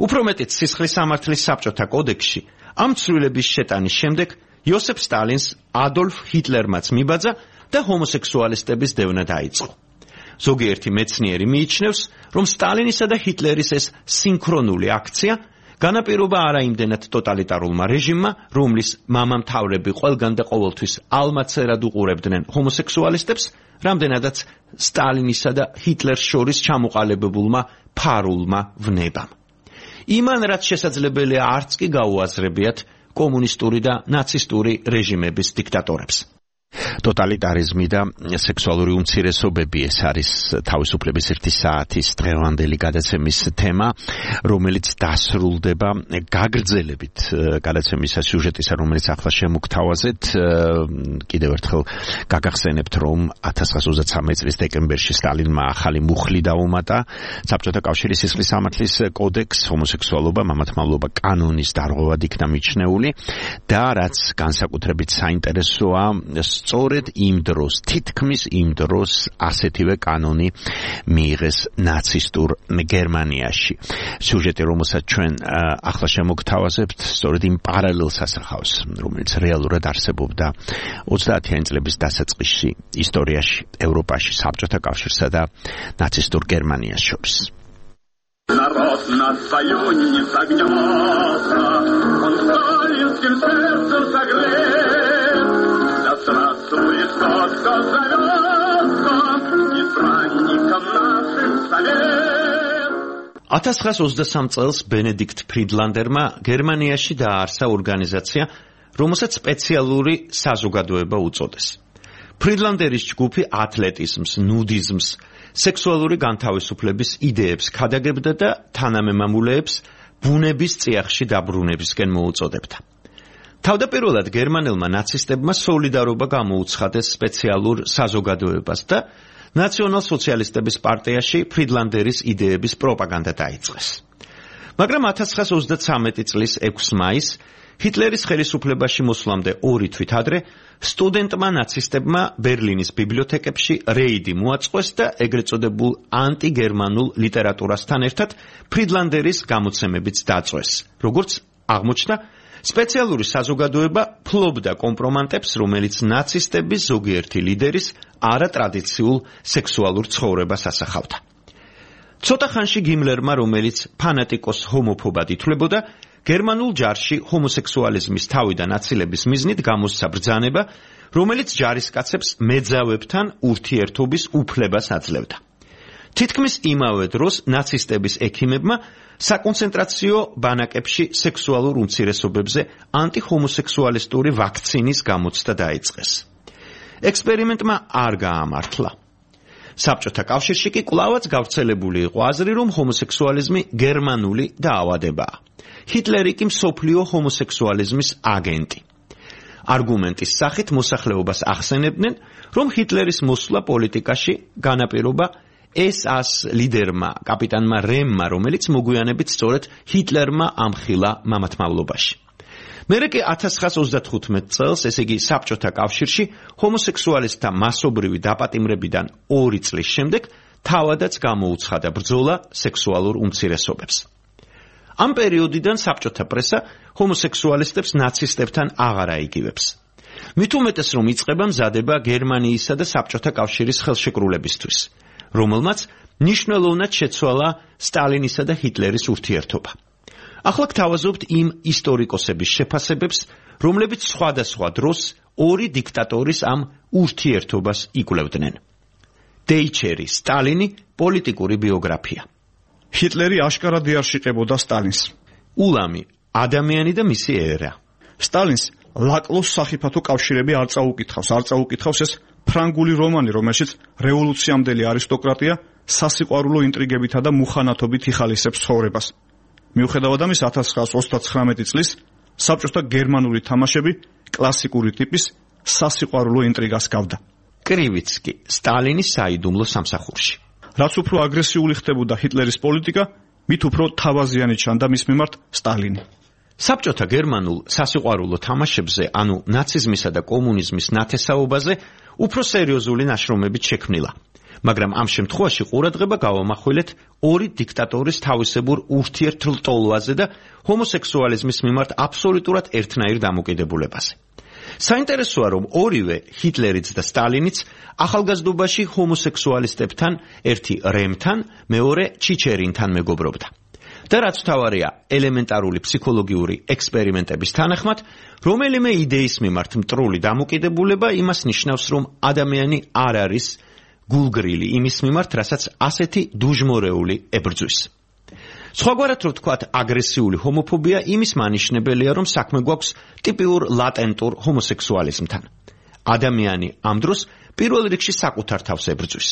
უფრო მეტიც, სისხლის სამართლის საბჭოთა კოდექსში ამ ცვლილების შეტანის შემდეგ იოსებ სტალინს ადოლფ ჰიტლერმაც მიბაძა და ჰომოსექსუალისტების დევნა დაიწყო. ზოგიერთი მეცნიერი მიიჩნევს, რომ სტალინისა და ჰიტლერის ეს სინქრონული აქცია განაპირობა არა იმდენად ტოტალიტარულმა რეჟიმმა, რომლის მამამთავრები ყველგან და ყოველთვის ალმაცერად უყურებდნენ ჰომოსექსუალისტებს, რამდენადაც სტალინისა და ჰიტლერს შორის ჩამოყალიბებულმა ფარულმა ვნებამ. იმან რაც შესაძლებელია არც კი გაუაზრებიათ კომუნისტური და ნაცისტური რეჟიმების დიქტატორებს. ტოტალიტარიზმი და სექსუალური უმცირესობები ეს არის თავისუფლების ერთი საათის დღევანდელი გადაცემის თემა, რომელიც დასრულდება გაგრძელებით გადაცემის სიუჟეტისა, რომელიც ახლა შემოგთავაზეთ. კიდევ ერთხელ გაგახსენებთ, რომ 1923 წლის დეკემბერში სტალინმა ახალი მუხლი დაუმატა საბჭოთა კავშირის სისხლის სამართლის კოდექსს, ჰომოსექსუალობა, მამათმავლობა კანონის დარღვევად იქნა მიჩნეული და რაც განსაკუთრებით საინტერესოა, სწორედ იმ დროს, თითქმის იმ დროს ასეთივე კანონი მიიღეს ნაცისტურ გერმანიაში. სიუჟეტი, რომელსაც ჩვენ ახლა შემოგთავაზებთ, სწორედ იმ პარალელს ასახავს, რომელიც რეალურად არსებობდა 30-იანი წლების დასაწყისში ისტორიაში, ევროპაში, საბჭოთა კავშირსა და ნაცისტურ გერმანიას შორის. Народ на свою не согнется, он сталинским сердцем согрет. Да здравствует тот, кто зовется избранником нашим совет. 1923 წელს ბენედიქტ ფრიდლანდერმა გერმანიაში დააარსა ორგანიზაცია, რომელსაც სპეციალური საზოგადოება უწოდეს. ფრიდლანდერის ჯგუფი ათლეტიზმს, ნუდიზმს, სექსუალური განთავისუფლების იდეებს ქადაგებდა და თანამემამულეებს ბუნების წიაღში დაბრუნებისკენ მოუწოდებდა. თავდაპირველად გერმანელმა ნაცისტებმა სოლიდარობა გამოუცხადეს სპეციალურ საზოგადოებას და ნაციონალ-სოციალისტების პარტიაში ფრიდლანდერის იდეების პროპაგანდა დაიწყეს. მაგრამ 1933 წლის 6 მაისს ჰიტლერის ხელისუფლებაში მოსვლამდე 2 თვით ადრე სტუდენტმა ნაცისტებმა ბერლინის ბიბლიოთეკებში რეიდი მოაწყვეს და ეგრეთ წოდებულ ანტიგერმანულ ლიტერატურასთან ერთად ფრიდლანდერის გამოცემებიც დაწვეს. როგორც აღმოჩნდა, სპეციალური საზოგადოება ფლობდა კომპრომანტებს, რომელიც ნაცისტების ზოგიერთი ლიდერის არატრადიციულ სექსუალურ ცხოვრებას ასახავდა. ცოტა ხანში გიმლერმა, რომელიც ფანატიკოს ჰომოფობად ითვლებოდა, გერმანულ ჯარში ჰომოსექსუალიზმის თავიდან აცილების მიზნით გამოსცა ბრძანება, რომელიც ჯარისკაცებს მეძავებთან ურთიერთობის უფლებას აძლევდა. თითქმის იმავე დროს ნაცისტების ექიმებმა საკონცენტრაციო ბანაკებში სექსუალურ უმცირესობებზე ანტihomosexualistური ვაქცინის გამოცდა დაიწყეს. ექსპერიმენტმა არ გაამართლა. საბჭოთა კავშირში კი კვლავაც გავრცელებული იყო აზრი, რომ ჰომოსექსუალიზმი გერმანული დაავადებაა. ჰიტლერი კი მსოფლიო ჰომოსექსუალიზმის აგენტი. არგუმენტის სახით მოსახლეობას ახსენებდნენ, რომ ჰიტლერის მოსვლა პოლიტიკაში განაპირობა SS ლიდერმა, კაპიტანმა რემმა, რომელიც მოგვიანებით სწორედ ჰიტლერმა ამხილა მამათმავლობაში. მერე კი 1935 წელს, ესე იგი საბჭოთა კავშირში, ჰომოსექსუალისტთა მასობრივი დაპატიმრებიდან 2 წლის შემდეგ თავადაც გამოუცხადა ბრძოლა სექსუალურ უმცირესობებს. ამ პერიოდიდან საბჭოთა პრესა ჰომოსექსუალისტებს ნაცისტებთან აღარ აიგივებს. მით უმეტეს, რომ იწყება მზადება გერმანიისა და საბჭოთა კავშირის ხელშეკრულებისთვის, რომელმაც მნიშვნელოვნად შეცვალა სტალინისა და ჰიტლერის ურთიერთობა. ახლა გთავაზობთ იმ ისტორიკოსების შეფასებებს, რომლებიც სხვადასხვა დროს 2 დიქტატორის ამ ურთიერთობას იკვლევდნენ. დეიჩერი, სტალინი, პოლიტიკური ბიოგრაფია. ჰიტლერი აშკარად იარშიყებოდა სტალინს. ულამი, ადამიანი და მისი ერა. სტალინს ლაკლოს სახიფათო კავშირები არ წაუკითხავს ეს ფრანგული რომანი, რომელშიც რევოლუციამდელი არისტოკრატია სასიყვარულო ინტრიგებითა და მუხანათობით იხალისებს ცხოვრებას. მიუხედავად ამისა, 1939 წლის საბჭოთა გერმანული თამაშები კლასიკური ტიპის სასიყვარულო ინტრიგას გავდა. კრივიცკი, სტალინის საიდუმლო სამსახურში. რაც უფრო აგრესიული ხდებოდა ჰიტლერის პოლიტიკა, მით უფრო თავაზიანი ჩანდა მის მიმართ სტალინი. საბჭოთა გერმანულ სასიყვარულო თამაშებზე, ანუ ნაციზმისა და კომუნიზმის ნათესაობაზე, უფრო სერიოზული ნაშრომებით შექმნილა. მაგრამ ამ შემთხვევაში ყურადღება გავამახვილეთ 2 დიქტატორის თავისებურ ურთიერთლტოლვაზე და ჰომოსექსუალიზმის მიმართ აბსოლუტურად ერთნაირ დამოკიდებულებაზე. საინტერესოა, რომ ორივე ჰიტლერიც და სტალინიც ახალგაზრდობაში ჰომოსექსუალისტებთან, ერთი რემთან, მეორე ჩიჩერინთან მეგობრობდა. და რაც თავარია, ელემენტარული ფსიქოლოგიური ექსპერიმენტების თანახმად, რომელიმე იდეის მიმართ მტრული დამოკიდებულება იმას ნიშნავს, რომ ადამიანი არ არის გულგრილი იმის მიმართ, რასაც ასეთი დუჟმორეული ებრძვის. სხვაგვარად რო ვთქვათ, აგრესიული ჰომოფობია იმის მანიშნებელია, რომ საქმე გვაქვს ტიპიურ ლატენტურ ჰომოსექსუალიზმთან. ადამიანი ამ დროს პირველ რიგში საკუთარ თავს ებრძვის.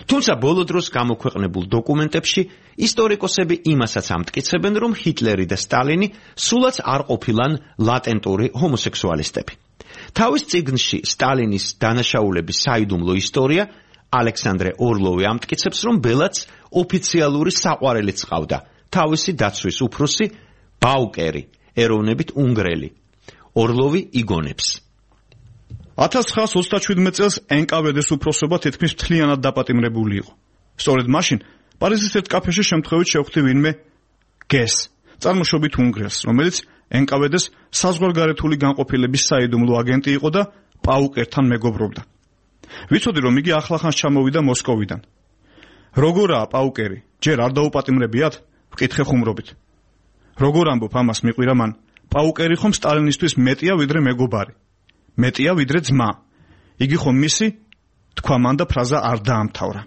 თუმცა ბოლო დროს გამოქვეყნებულ დოკუმენტებში ისტორიკოსები იმასაც ამტკიცებენ, რომ ჰიტლერი და სტალინი სულაც არ ყოფილან ლატენტური ჰომოსექსუალისტები. თავის წიგნში სტალინის დანაშაულების საიდუმლო ისტორია ალექსანდრე ორლოვი ამტკიცებს, რომ ბელაც ოფიციალური საყვარელიც ყავდა, თავისი დაცვის უფროსი ბაუკერი, ეროვნებით უნგრელი. ორლოვი იგონებს. 1937 წელს NKVD-ს უფროსობა თითქმის მთლიანად დაპატიმრებული იყო. სწორედ მაშინ პარიზის ერთ კაფეში შემთხვევით შევხვდი ვინმე გეს, წარმოშობით უნგრელს, რომელიც NKVD-ს საზღვარგარეთული განყოფილების საიდუმლო აგენტი იყო და პაუკერთან მეგობრობდა. ვიცოდი, რომ იგი ახლახანს ჩამოვიდა მოსკოვიდან. როგორაა პაუკერი? ჯერ არ დაუპატიმრებიათ? ვკითხე ხუმრობით. როგორ ამბობ ამას მიყვირა მან? პაუკერი ხომ სტალინისთვის მეტია ვიდრე მეგობარი. მეტია ვიდრე ძმა. იგი ხომ მისი? თქვა მან და ფრაზა არ დაამთავრა.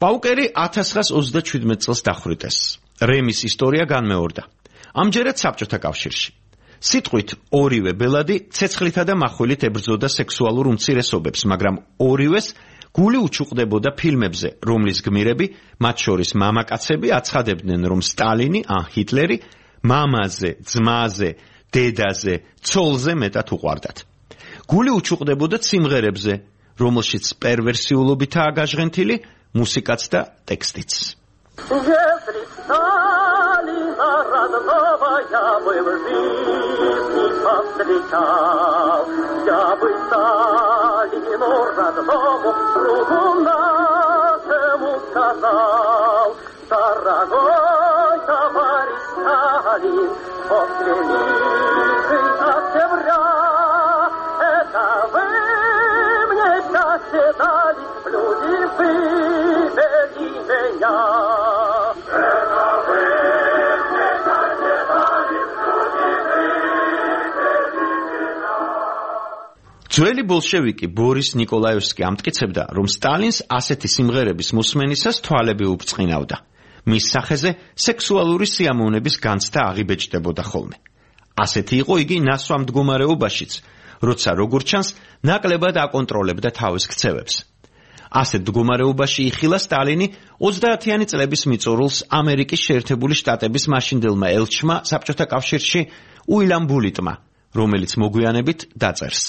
პაუკერი 1927 წელს დახვრიტეს. რემის ისტორია განმეორდა. ამჯერად საბჭოთა კავშირში. სიტყვით ორივე ბელადი ცეცხლითა და მახვილით ებრძოდა სექსუალურ უმცირესობებს, მაგრამ ორივეს გული უჩუყდებოდა ფილმებზე, რომლის გმირები, მათ შორის მამაკაცები, აცხადებდნენ, რომ სტალინი ან ჰიტლერი მამაზე, ძმაზე, დედაზე, ცოლზე მეტად უყვარდათ. გული უჩუყდებოდა სიმღერებზე, რომელშიც პერვერსიულობითაა გაჟღენთილი მუსიკაც და ტექსტიც. Если Сталина родного я бы в жизни повстречал, я бы Сталину родному другу нашему сказал: дорогой товарищ Сталин, после Великой октября это вы мне счастье дали, люди вывели меня. ძველი ბოლშევიკი ბორის ნიკოლაევსკი ამტკიცებდა, რომ სტალინს ასეთი სიმღერების მოსმენისას თვალები უბწყინავდა. მის სახეზე სექსუალური სიამოვნების განცდა აღიბეჭდებოდა ხოლმე. ასეთი იყო იგი ნასვამ მდგომარეობაშიც, როცა როგორც ჩანს, ნაკლებად აკონტროლებდა თავის ქცევებს. ასეთ მდგომარეობაში იხილა სტალინი 30-იანი წლების მიწურულს ამერიკის შეერთებული შტატების მაშინდელმა ელჩმა საბჭოთა კავშირში უილამ ბულიტმა, რომელიც მოგვიანებით დაწერს.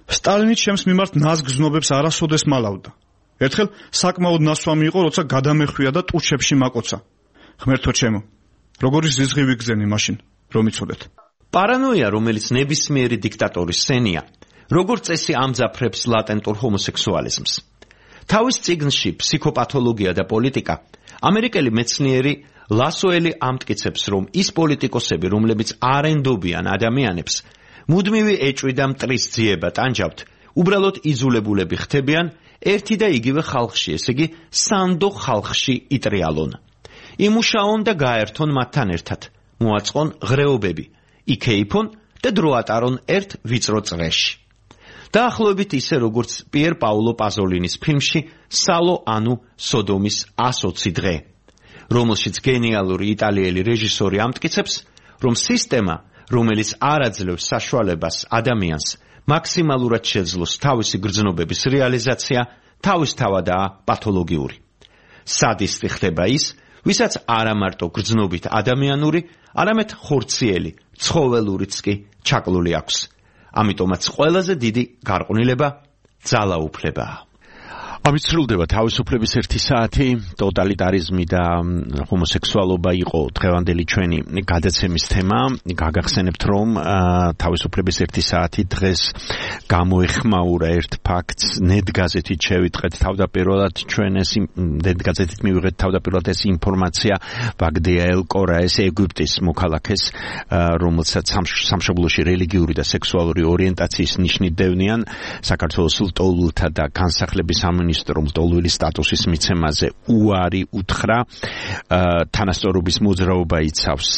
სტალინი ჩემს მიმართ ნაზგ-ზნობებს არასოდეს მალავდა. ერთხელ საკმაოდ ნასვამი იყო, როცა გადამეხვია და ტუჩებში მაკოცა. ღმერთო ჩემო, როგორი ზიზღი ვიგზენი მაშინ, რომ იცოდეთ. პარანოია, რომელიც ნებისმიერი დიქტატორის სენია, როგორც წესი ამძაფრებს ლატენტურ ჰომოსექსუალიზმს. თავის წიგნში ფსიქოპათოლოგია და პოლიტიკა ამერიკელი მეცნიერი ლასოელი ამტკიცებს, რომ ის პოლიტიკოსები, რომლებიც არ ენდობიან ადამიანებს, მუდმივი ეჭვი და მტრის ძიება ტანჯავთ, უბრალოდ იზულებულები ხდებიან ერთი და იგივე ხალხში, ესე იგი სანდო ხალხში იტრიალონ. იმუშაონ და გაერთონ მათთან ერთად, მოაწყონ ღრეობები, იქეიფონ და დრო ატარონ ერთ ვიწრო წრეში. დაახლოებით ისე, როგორც პიერ პაულო პაზოლინის ფილმში სალო ანუ სოდომის 120 დღე, რომელშიც გენიალური იტალიელი რეჟისორი ამტკიცებს, რომ სისტემა, რომელიც არ აძლევს საშუალებას ადამიანს მაქსიმალურად შეძლოს თავისი გრძნობების რეალიზაცია, თავისთავადაა პათოლოგიური. სადისტი ხდება ის, ვისაც არა მარტო გრძნობით ადამიანური, არამედ ხორციელი, ცხოველურიც კი ჩაკლული აქვს. ამიტომაც ყველაზე დიდი გარყვნილება ძალაუფლებაა. ამით სრულდება თავისუფლების 1 საათი. ტოტალიტარიზმი და ჰომოსექსუალობა იყო დღევანდელი ჩვენი გადაცემის თემა. გაგახსენებთ, რომ თავისუფლების 1 საათი დღეს გამოეხმაურა ერთ ფაქტს. ნეტგაზეთით შევიტყეთ თავდაპირველად ჩვენ ეს ნეტგაზეთით მივიღეთ თავდაპირველად ეს ინფორმაცია ვაგდია ელ-კორაეს ეგვიპტის მოქალაქეს, რომელსაც სამშობლოში რელიგიური და სექსუალური ორიენტაციის ნიშნით დევნიან საქართველოს ლტოლვილთა და განსახლების სამინისტრომ ლტოლვილი სტატუსის მიცემაზე უარი უთხრა. თანასწორობის მოძრაობა იცავს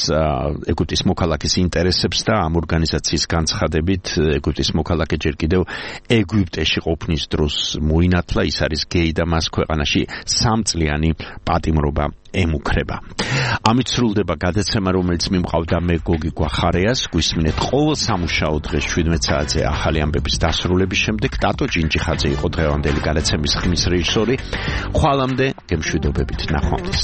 ეგვიპტის მოქალაქის ინტერესებს და ამ ორგანიზაციის განცხადებით ეგვიპტის მოქალაქე ჯერ კიდევ ეგვიპტეში ყოფნის დროს მოინათლა. ის არის გეი და მას ქვეყანაში 3 წლიანი პატიმრობა ემუქრება. ამით სრულდება გადაცემა, რომელიც მიმყავდა მე გოგი გვახარეას. გვისმინეთ ყოველ სამუშაო დღეს 17 საათზე ახალი ამბების დასრულების შემდეგ. ტატო ჯინჯიხაძე იყო დღევანდელი გადაცემის ხმის რეჟისორი. ხვალამდე გემშვიდობებით, ნახვამდის.